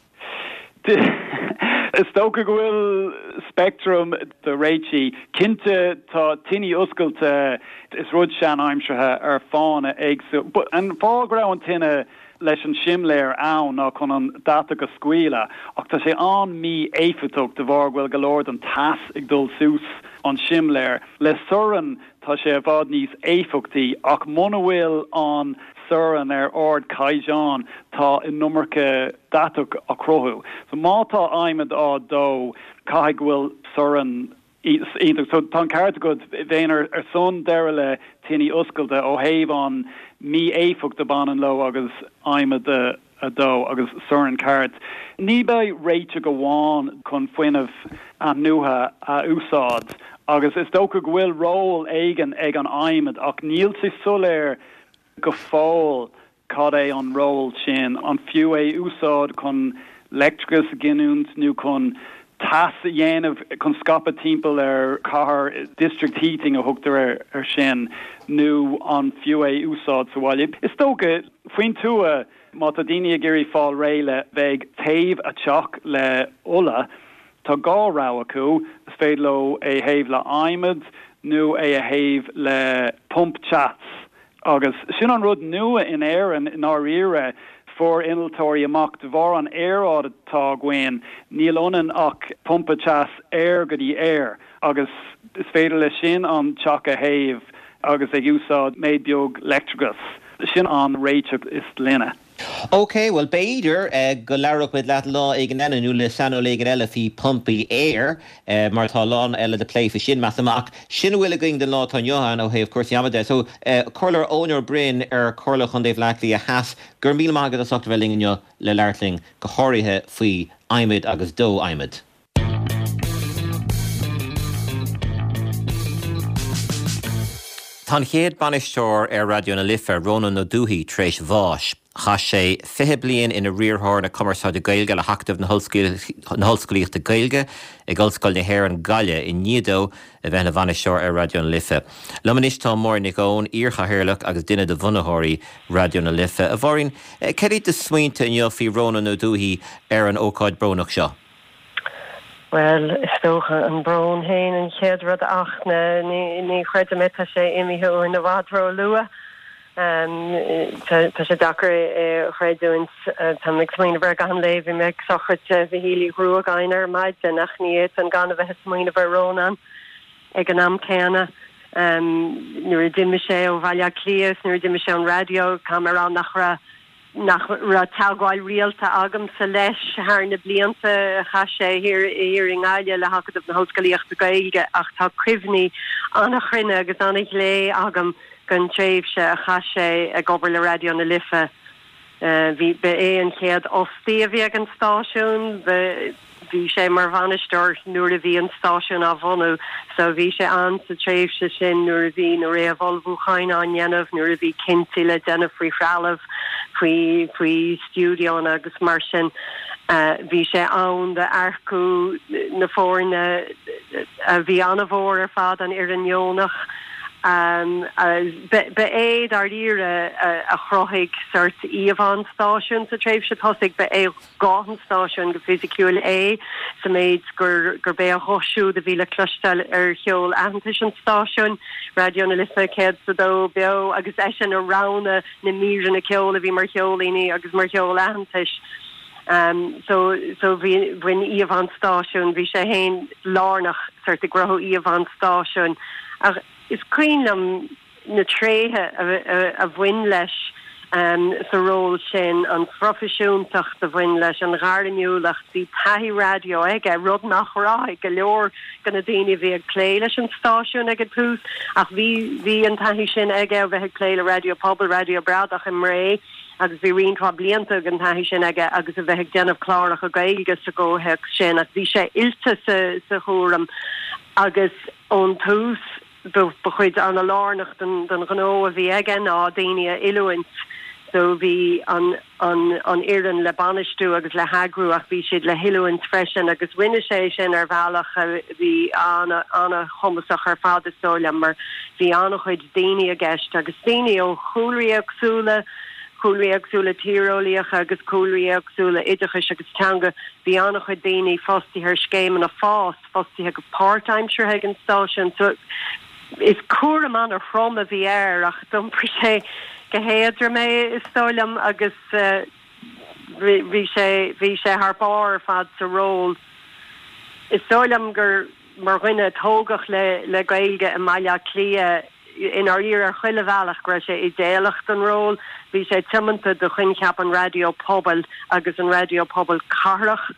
Is dócha go bhfuil speictream de réitigh. Cinnte tá tine oscailte, is rud sean-aimseartha ar fáthanna éagsúla. An fáth go raibh an tine leis an simléar ann ná chun an deatach a scaoileadh, ach tá sé an-mhí-éifeachtach de bharr go bhfuil go leor den teas ag dul suas an simléar. Le sorn tá sé i bhfad níos éifeachtaí, ach muna bhfuil an sorn ar ardchaighdeán tá an iomarca deatach á chruthú. So má tá adhmad á dó, caithfidh go bhfuil sorn iontach. So tá an ceart agat, bheinn ar ar son deireadh le tine oscailte ó thaobh an mí-éifeacht a bhaineann leo agus adhmad a dó agus sorn ceart. Ní bheidh réiteach amháin chun fuinneamh athnuaithe a úsáid agus is dócha go bhfuil ról éigin ag an adhmad ach níl sé soiléir go fóill cad é an ról sin, an fiú é a úsáid chun leictreachas a ghiniúint nó chun teas a dhéanamh chun scaipeadh timpeall ar chathair, district heating a thugtar air sin, nó an fiú é a úsáid sa bhaile. Is dócha, faoin tuath, má tá daoine ag iarraidh fáil réidh le bheith ag téamh a dteach le ola, tá dhá rogha acu, is féidir leo é a théamh le adhmad nó é a théamh le pump teas. Agus sin an rud nua in Éirinn i ndáiríre, fuair innealtóirí amach de bharr an aeráid atá againn, níl ionainn ach pumpa teas aer go dtí aer agus is féidir leis sin an teach a théamh agus ag úsáid méid beag leictreachais. Sin an réiteach is glaine.
Ok, bhuel b'fhéidir go labhróidh muid leat lá éigin eile nó le saineolaí éigin eile faoi pumpaí aeir mar tá a lán eile le plé faoi sin, measaim. Ach sin a bhfuil againn don lá atá inniu ann ó thaobh cúrsaí ama de. So, Comhairleoir Eoin Ó Broin ar Chomhairle Chontae Bhaile Átha Cliath Theas, go raibh míle maith agat as ucht a bheith linn inniu le labhairt linn, go háirithe faoi adhmaid agus dó adhmaid. Tá an chéad bainisteoir ar Raidió na Life, Rónán Ó Dubhthaigh, tar éis bháis. Chaith sé fiche bliain ina riarthóir na cumarsáide Gaeilge le hAcadamh na hOllscolaíochta Gaeilge ag Ollscoil na hÉireann, Gaillimh, i ndiaidh dó a bheith ina bhainisteoir ar Raidió na Life. Liom anois tá Máirín Nic Eoin, iar-chathaoirleach agus duine de bhunaitheoirí Raidió na Life. A Mháirín, cad iad do smaointe inniu faoi Rónán Ó Dubhthaigh ar an ócáid brónach seo?
Bhuel, is dócha an brón féin an chéad rud ach ní chreidim é, tá sé imithe uainn i bhfad ró-luath. Tá sé deacair é a chreidiúint tá ag smaoineamh air gach aon lá bhí mé ag sochraid Mhichíl Uí Ghruagáin ar maidin ach ní fhéadfainn gan a bheith ag smaoineamh ar Rónán ag an am céanna. Nuair a d'imigh sé ó Bhaile Átha Cliath nuair a d'imigh sé ón raidió tá mé rá nach raibh nach raibh teagmháil rialta agamsa leis thar na blianta a chaith sé thiar thiar i nGaillimh le hAcadamh na hOllscolaíochta Gaeilge ach tá cuimhní an-chruinne agus an-ghlé agam den tréimhse a chaith sé ag obair le Raidió na Life. Bhí ba é an chéad fhostaí a bhí ag an stáisiún, bhí sé mar bhainisteoir nuair a bhí an stáisiún á bhunú, so bhí sé ann sa tréimhse sin nuair a bhí na réamhullmhúcháin á ndéanamh, nuair a bhí cinntí le déanamh faoi threalamh, faoi faoi stiúideonna agus mar sin. Bhí sé ann d'earcú na foirne a bhí an-mhór ar fad, an fhoireann dheonach. Ba é dáiríre a chruthaigh sort íomhá an stáisiúin sa tréimhse tosaigh, ba é guth an stáisiúin go fisiciúil é sa méid gur gurb é a ghuth siúd a bhí le cloisteáil ar cheol aitheantais an stáisiúin, Raidió na Life céad is a dó beo, agus eisean a roghnaigh na míreanna ceoil a bhí mar cheoilíní agus mar cheol aitheantais. So so bhí bhain íomhá an stáisiúin, bhí sé féin lárnach sort i gcruthú íomhá an stáisiúin. Ach is cuimhin liom na tréithe a bhain leis sa ról sin, an phroifisiúntacht a bhain leis, an ghairmiúlacht, bhí taithí raidió aige, rud nach raibh ag go leor de na daoine a bhí ag plé leis an stáisiún ag an tús, ach bhí bhí an taithí sin aige ó bheith ag plé le Raidió Pobail, Raidió Bradach i mBré agus bhí roinnt mhaith blianta den taithí sin aige agus a bheith ag déanamh cláracha Gaeilge sa gcomhthéacs sin ach bhí sé oilte sa sa chúram agus ón tús ba chuid an-lárnach den ghnó a bhí aige ná daoine a oiliúint so bhí an an an fhoireann le bainistiú agus le heagrú ach bhí siad le hoiliúint freisin agus rinne sé sin ar bhealach a bhí an-chumasach ar fad is dóigh liom mar bhí an-chuid daoine i gceist agus daoine ó chúlraí éagsúla, cúlraí éagsúla tíreolaíocha agus cúlraí éagsúla oideachais agus teanga. Bhí an-chuid daoine fostaithe ar scéimeanna fás, fostaithe go páirtaimseartha ag an stáisiún. So is cúram an-throm a bhí air ach d'iompair sé go héadrom é is dóigh liom agus bhí sé bhí sé thar barr ar fad sa ról. Is dóigh liom gur mar dhuine a tógadh le le Gaeilge i mBaile Átha Cliath, i ndáiríre ar chuile bhealach go raibh sé idéalach don ról. Bhí sé tiomanta do choincheap an raidió pobail agus an raidió pobail cathrach.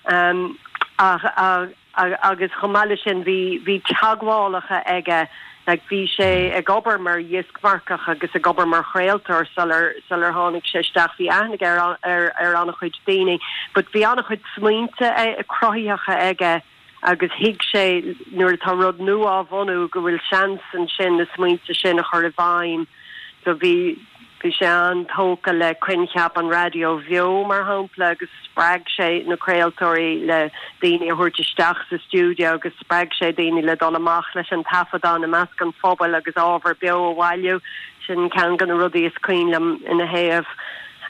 Um, ach, ach, agus chomh maith leis sin bhí bhí teagmhálacha aige like bhí sé ag obair mar dhioscmharcach agus ag obair mar chraoltóir sular sular tháinig sé isteach bhí aithne aige ar ar ar an-chuid daoine but bhí an-chuid smaointe cruthaitheacha aige agus thuig sé nuair atá rud nua á bhunú go bhfuil seans ansin na smaointe sin a chur i bhfeidhm. So bhí bhí sé an-tógtha le coincheap an raidió bheo mar shampla agus spreag sé na craoltóirí le daoine a thabhairt isteach sa stiúideo agus spreag sé daoine le dul amach leis an taifeadán i measc an phobail agus ábhar beo a bhailiú. Sin ceann de na rudaí is cuimhin liom ina thaobh.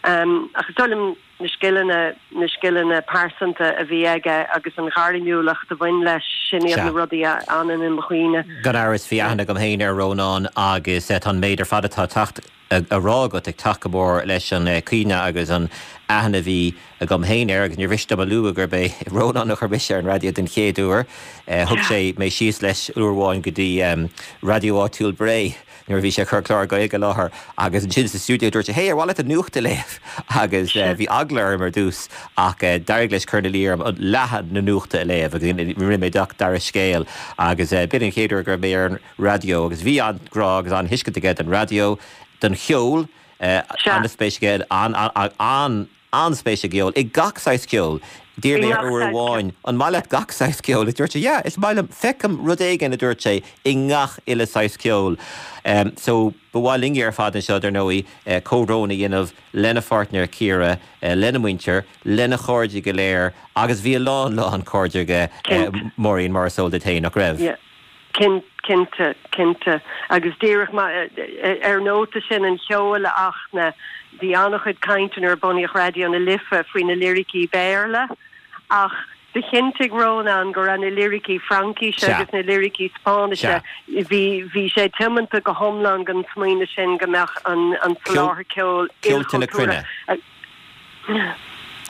Um, ach is dóigh liom na scileanna na scileanna pearsanta a bhí aige agus an ghairmiúlacht a bhain leis sin iad na rudaí a fhanann i mo chuimhne.
Gan amhras bhí aithne agam féin ar Rónán agus tá an méid ar fad atá teacht a rá agat ag teacht go mór leis an cuimhne agus an aithne a bhí agam féin air agus níor mhiste dom a lua gurb é Rónán a chuir mise ar an raidió den chéad uair. Thug sé mé síos leis uair amháin go dtí raidió áitiúil Bré nuair a bhí sé ag cur clár Gaeilge i láthair agus ansin sa stiúideo dúirt sé hey ar mhaith leat an nuacht a léamh agus bhí eagla orm ar dtús ach d'éirigh leis cur ina luí orm leath na nuachta a léamh agus rinne mé gach dara scéal agus b'in an chéad uair go raibh mé ar an raidió agus bhí an-ghrá agus an-thuiscint aige don raidió, don cheol, an-spéis aige an an-spéis i gceol, i gach saghas ceoil. D'iarr mé air uair amháin, an maith leat gach saghas ceoil? Is dúirt sé, yeah, is maith liom, feicim rud éigin, a dúirt sé, i ngach uile saghas ceoil. So, ba mhaith linne ar fad anseo, dar ndóigh, comhbhrón a dhéanamh lena pháirtnéir Ciara, lena mhuintir, lena chairde go léir, agus bhí a lán, lán cairde aige, Máirín, mar is eol duit féin, nach raibh?
Yeah. Cinnte, cinnte. Agus díreach ar an nóta sin an cheoil a Fhachtna, bhí an-chuid cainte nuair a bunaíodh Raidió na Life faoi na liricí Béarla ach Do chinntigh Rónán go raibh na liricí Fraincise agus na liricí Spáinnise. Bhí bhí sé tiomanta go hiomlán don smaoineamh sin go mbeadh an an soláthar ceoil
Ceolta na cruinne.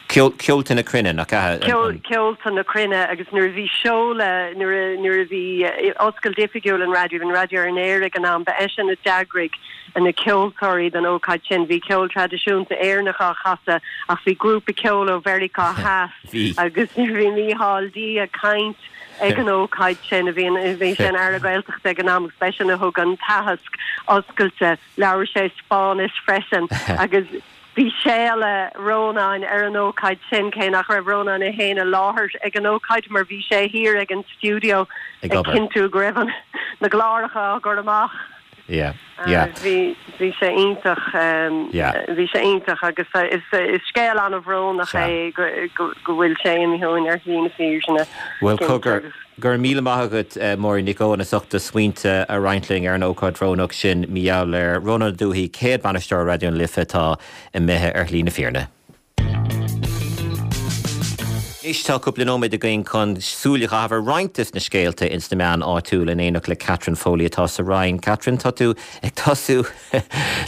Ceolta na cruinne nach ea?
Ceolta na cruinne agus nuair a bhí seoladh nuair nuair a bhí oscailt oifigiúil an raidió an raidió ar an aer ag an am ba eisean a d'eagraigh na ceoltóirí don ócáid sin bhí ceol traidisiúnta Éireannach á chasadh ach bhí grúpa ceoil ó Mheiriceá Theas agus bhí Mícheál D ag caint ag an ócáid sin a bhí bhí sé ina Aire Gaeltachta ag an am agus b'eisean a thug an t-aitheasc oscailte labhair sé Spáinnis freisin agus bhí séala Rónáin ar an ócáid sin cé nach raibh Rónán é féin i láthair ag an ócáid mar bhí sé thiar ag an stiúideo ag cinntiú go raibh na cláracha á gcur amach.
Yeah, yeah.
Bhí bhí sé iontach bhí sé iontach agus is is scéal an-bhrónach é go go bhfuil sé imithe uainn ar shlí na fírinne.
Bhuel cogar go raibh míle maith agat Máirín Nic Eoin as ucht do smaointe a roinnt linn ar an ócáid bhrónach sin mar gheall ar Rónán Ó Dubhthaigh céad bainisteoir Raidió na Life atá imithe ar shlí na fírinne. Anois tá cúpla nóiméad againn chun súil a chaitheamh ar roinnt de na scéalta ins na meáin áitiúil in éineacht le Catherine Foley atá sa Rinn. Catherine tá tú ag tosú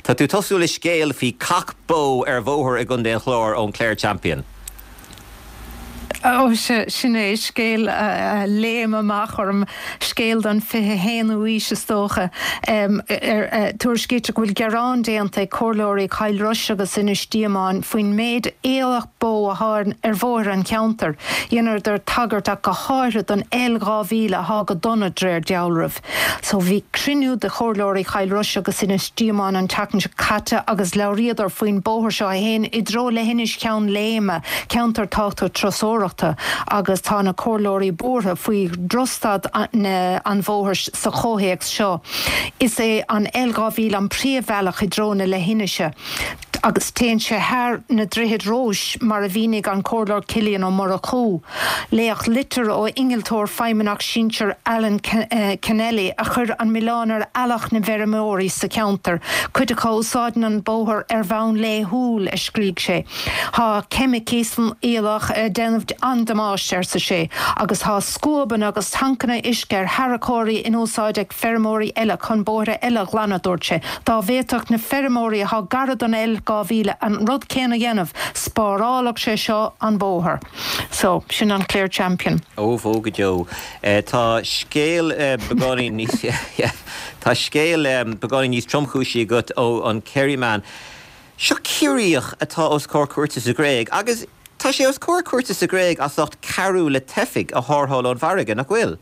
Tá tú tosú le scéal faoi cac bó ar bhóthar i gContae an Chláir ón Clare Champion.
Ó sin é scéal a léim amach orm scéal don fiche haonú aois is dócha. Tuairiscítear go bhfuil gearán déanta ag comhairleoirí Chill Rois agus Inis Díomáin faoin méid aoileach bó atá ar bhóithre an cheantair. Dheineadar tagairt ach go háirithe don L dhá mhíle atá go dona de réir dealraimh. So bhí cruinniú de chomhairleoirí Chill Rois agus Inis Díomáin an tseachtain seo caite agus labhraíodar faoin bóthar seo a théann i dtreo leithinis Cheann Léime, ceantar tábhachtach turasóireachta agus tá na comhairleoirí buartha faoi dhrochstaid an bhóthair sa chomhthéacs seo. Is é an L dhá mhíle an príomhbhealach i dtreo na leithinise agus téann sé thar na Droichid Rois mar a mhínigh an Comhairleoir Cillian Ó Murchú. Léadh litir ó innealtóir feidhmeannach sinsir Alan Kennelly a chuir an milleán ar eallach na bhfeirmeoirí sa cheantar, cuid acu a úsáideann an bóthar ar bhonn laethúil, a scrígh sé. Tá ceimicí san aoileach ag déanamh an-damáiste, arsa sé, agus tá scuabanna agus tancanna uisce ar tharracóirí in úsáid ag feirmeoirí eile chun bóithre eile a ghlanadh, dúirt sé. Dá bhféadfadh na feirmeoirí atá gar don L dhá mhíle an rud céanna a dhéanamh, spárálfadh sé seo an bóthar. So, sin an Clare Champion.
Ó bhó go deo. Tá scéal beagáinín níos Tá scéal beagáinín níos tromchúisí agat ó an Kerryman. Seo Ciarraíoch atá os comhair cúirte sa Ghréig agus tá sé os comhair cúirte sa Ghréig as ucht cabhrú le teifigh a tharrtháil ón bhfarraige, nach bhfuil?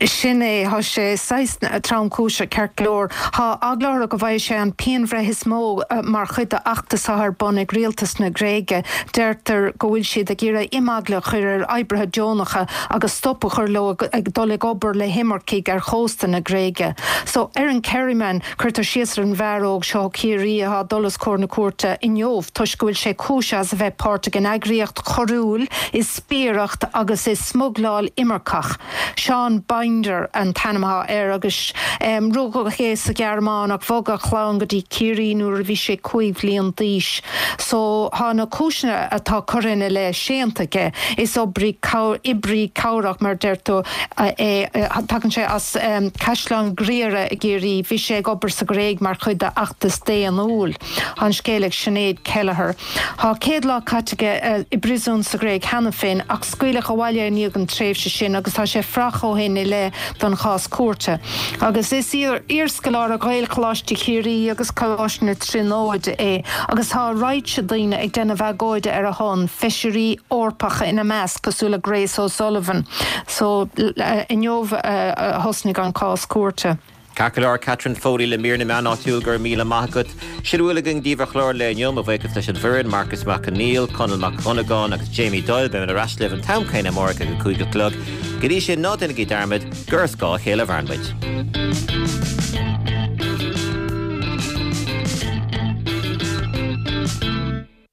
Sin é, tá sé saghas tromchúiseach ceart go leor. Tá eagla orthu go bhfaighidh sé an pianbhreith is mó mar chuid d'fheachtas atá ar bun ag rialtas na Gréige. Deirtear go bhfuil siad ag iarraidh imeagla a chur ar oibrithe deonacha agus stop a chur leo ag dul ag obair le himircigh ar chósta na Gréige. So, ar an Kerryman, cuirtear síos ar an bhfear óg seo ó Chiarraí atá ag dul os comhair na cúirte inniu toisc go bhfuil sé cúisithe as a bheith páirteach in eagraíocht choiriúil, i spiaireacht agus i smugláil imirceach. Sean Binder an t-ainm atá air agus rugadh é sa Ghearmáin ach bhog a chlann go dtí Ciarraí nuair a bhí sé cúig bhliain d'aois. So tá na cúiseanna atá curtha ina leith séanta aige. Is oibrí oibrí cabhrach mar deir tú é. Tagann sé as Caisleán Ghriaire i gCiarraí. Bhí sé ag obair sa Ghréig mar chuid d'fheachtas daonnúil. Tá an scéal ag Sinéad Kelleher. Tá céad lá caite aige i bpríosún sa Ghréig cheana féin ach scaoileadh abhaile i ndiaidh an tréimhse sin agus tá sé fuar ó shin i leith don chás cúirte. Agus is iarscoláire Ghaelcholáiste Chiarraí agus Coláiste na Tríonóide é agus tá raidhse daoine ag déanamh agóide ar a shon, feisirí Eorpacha ina measc, cosúil le Grace O'Sullivan. So inniu a thosnaigh an cás cúirte.
Ceart go leor, Catherine Foley le mír na meán áitiúil, go raibh míle maith agat. Sin a bhfuil againn daoibh ar chlár an lae inniu, mo bhuíochas leis an bhfoireann, Marcus Mac Conghail, Conall Mac Dhonnagáin agus Jamie Doyle. Beimid ar ais libh an t-am céanna amárach ag a cúig a chlog. Go dtí sin, ná déanaigí dearmad gur as dhá chéile a mhaireann muid.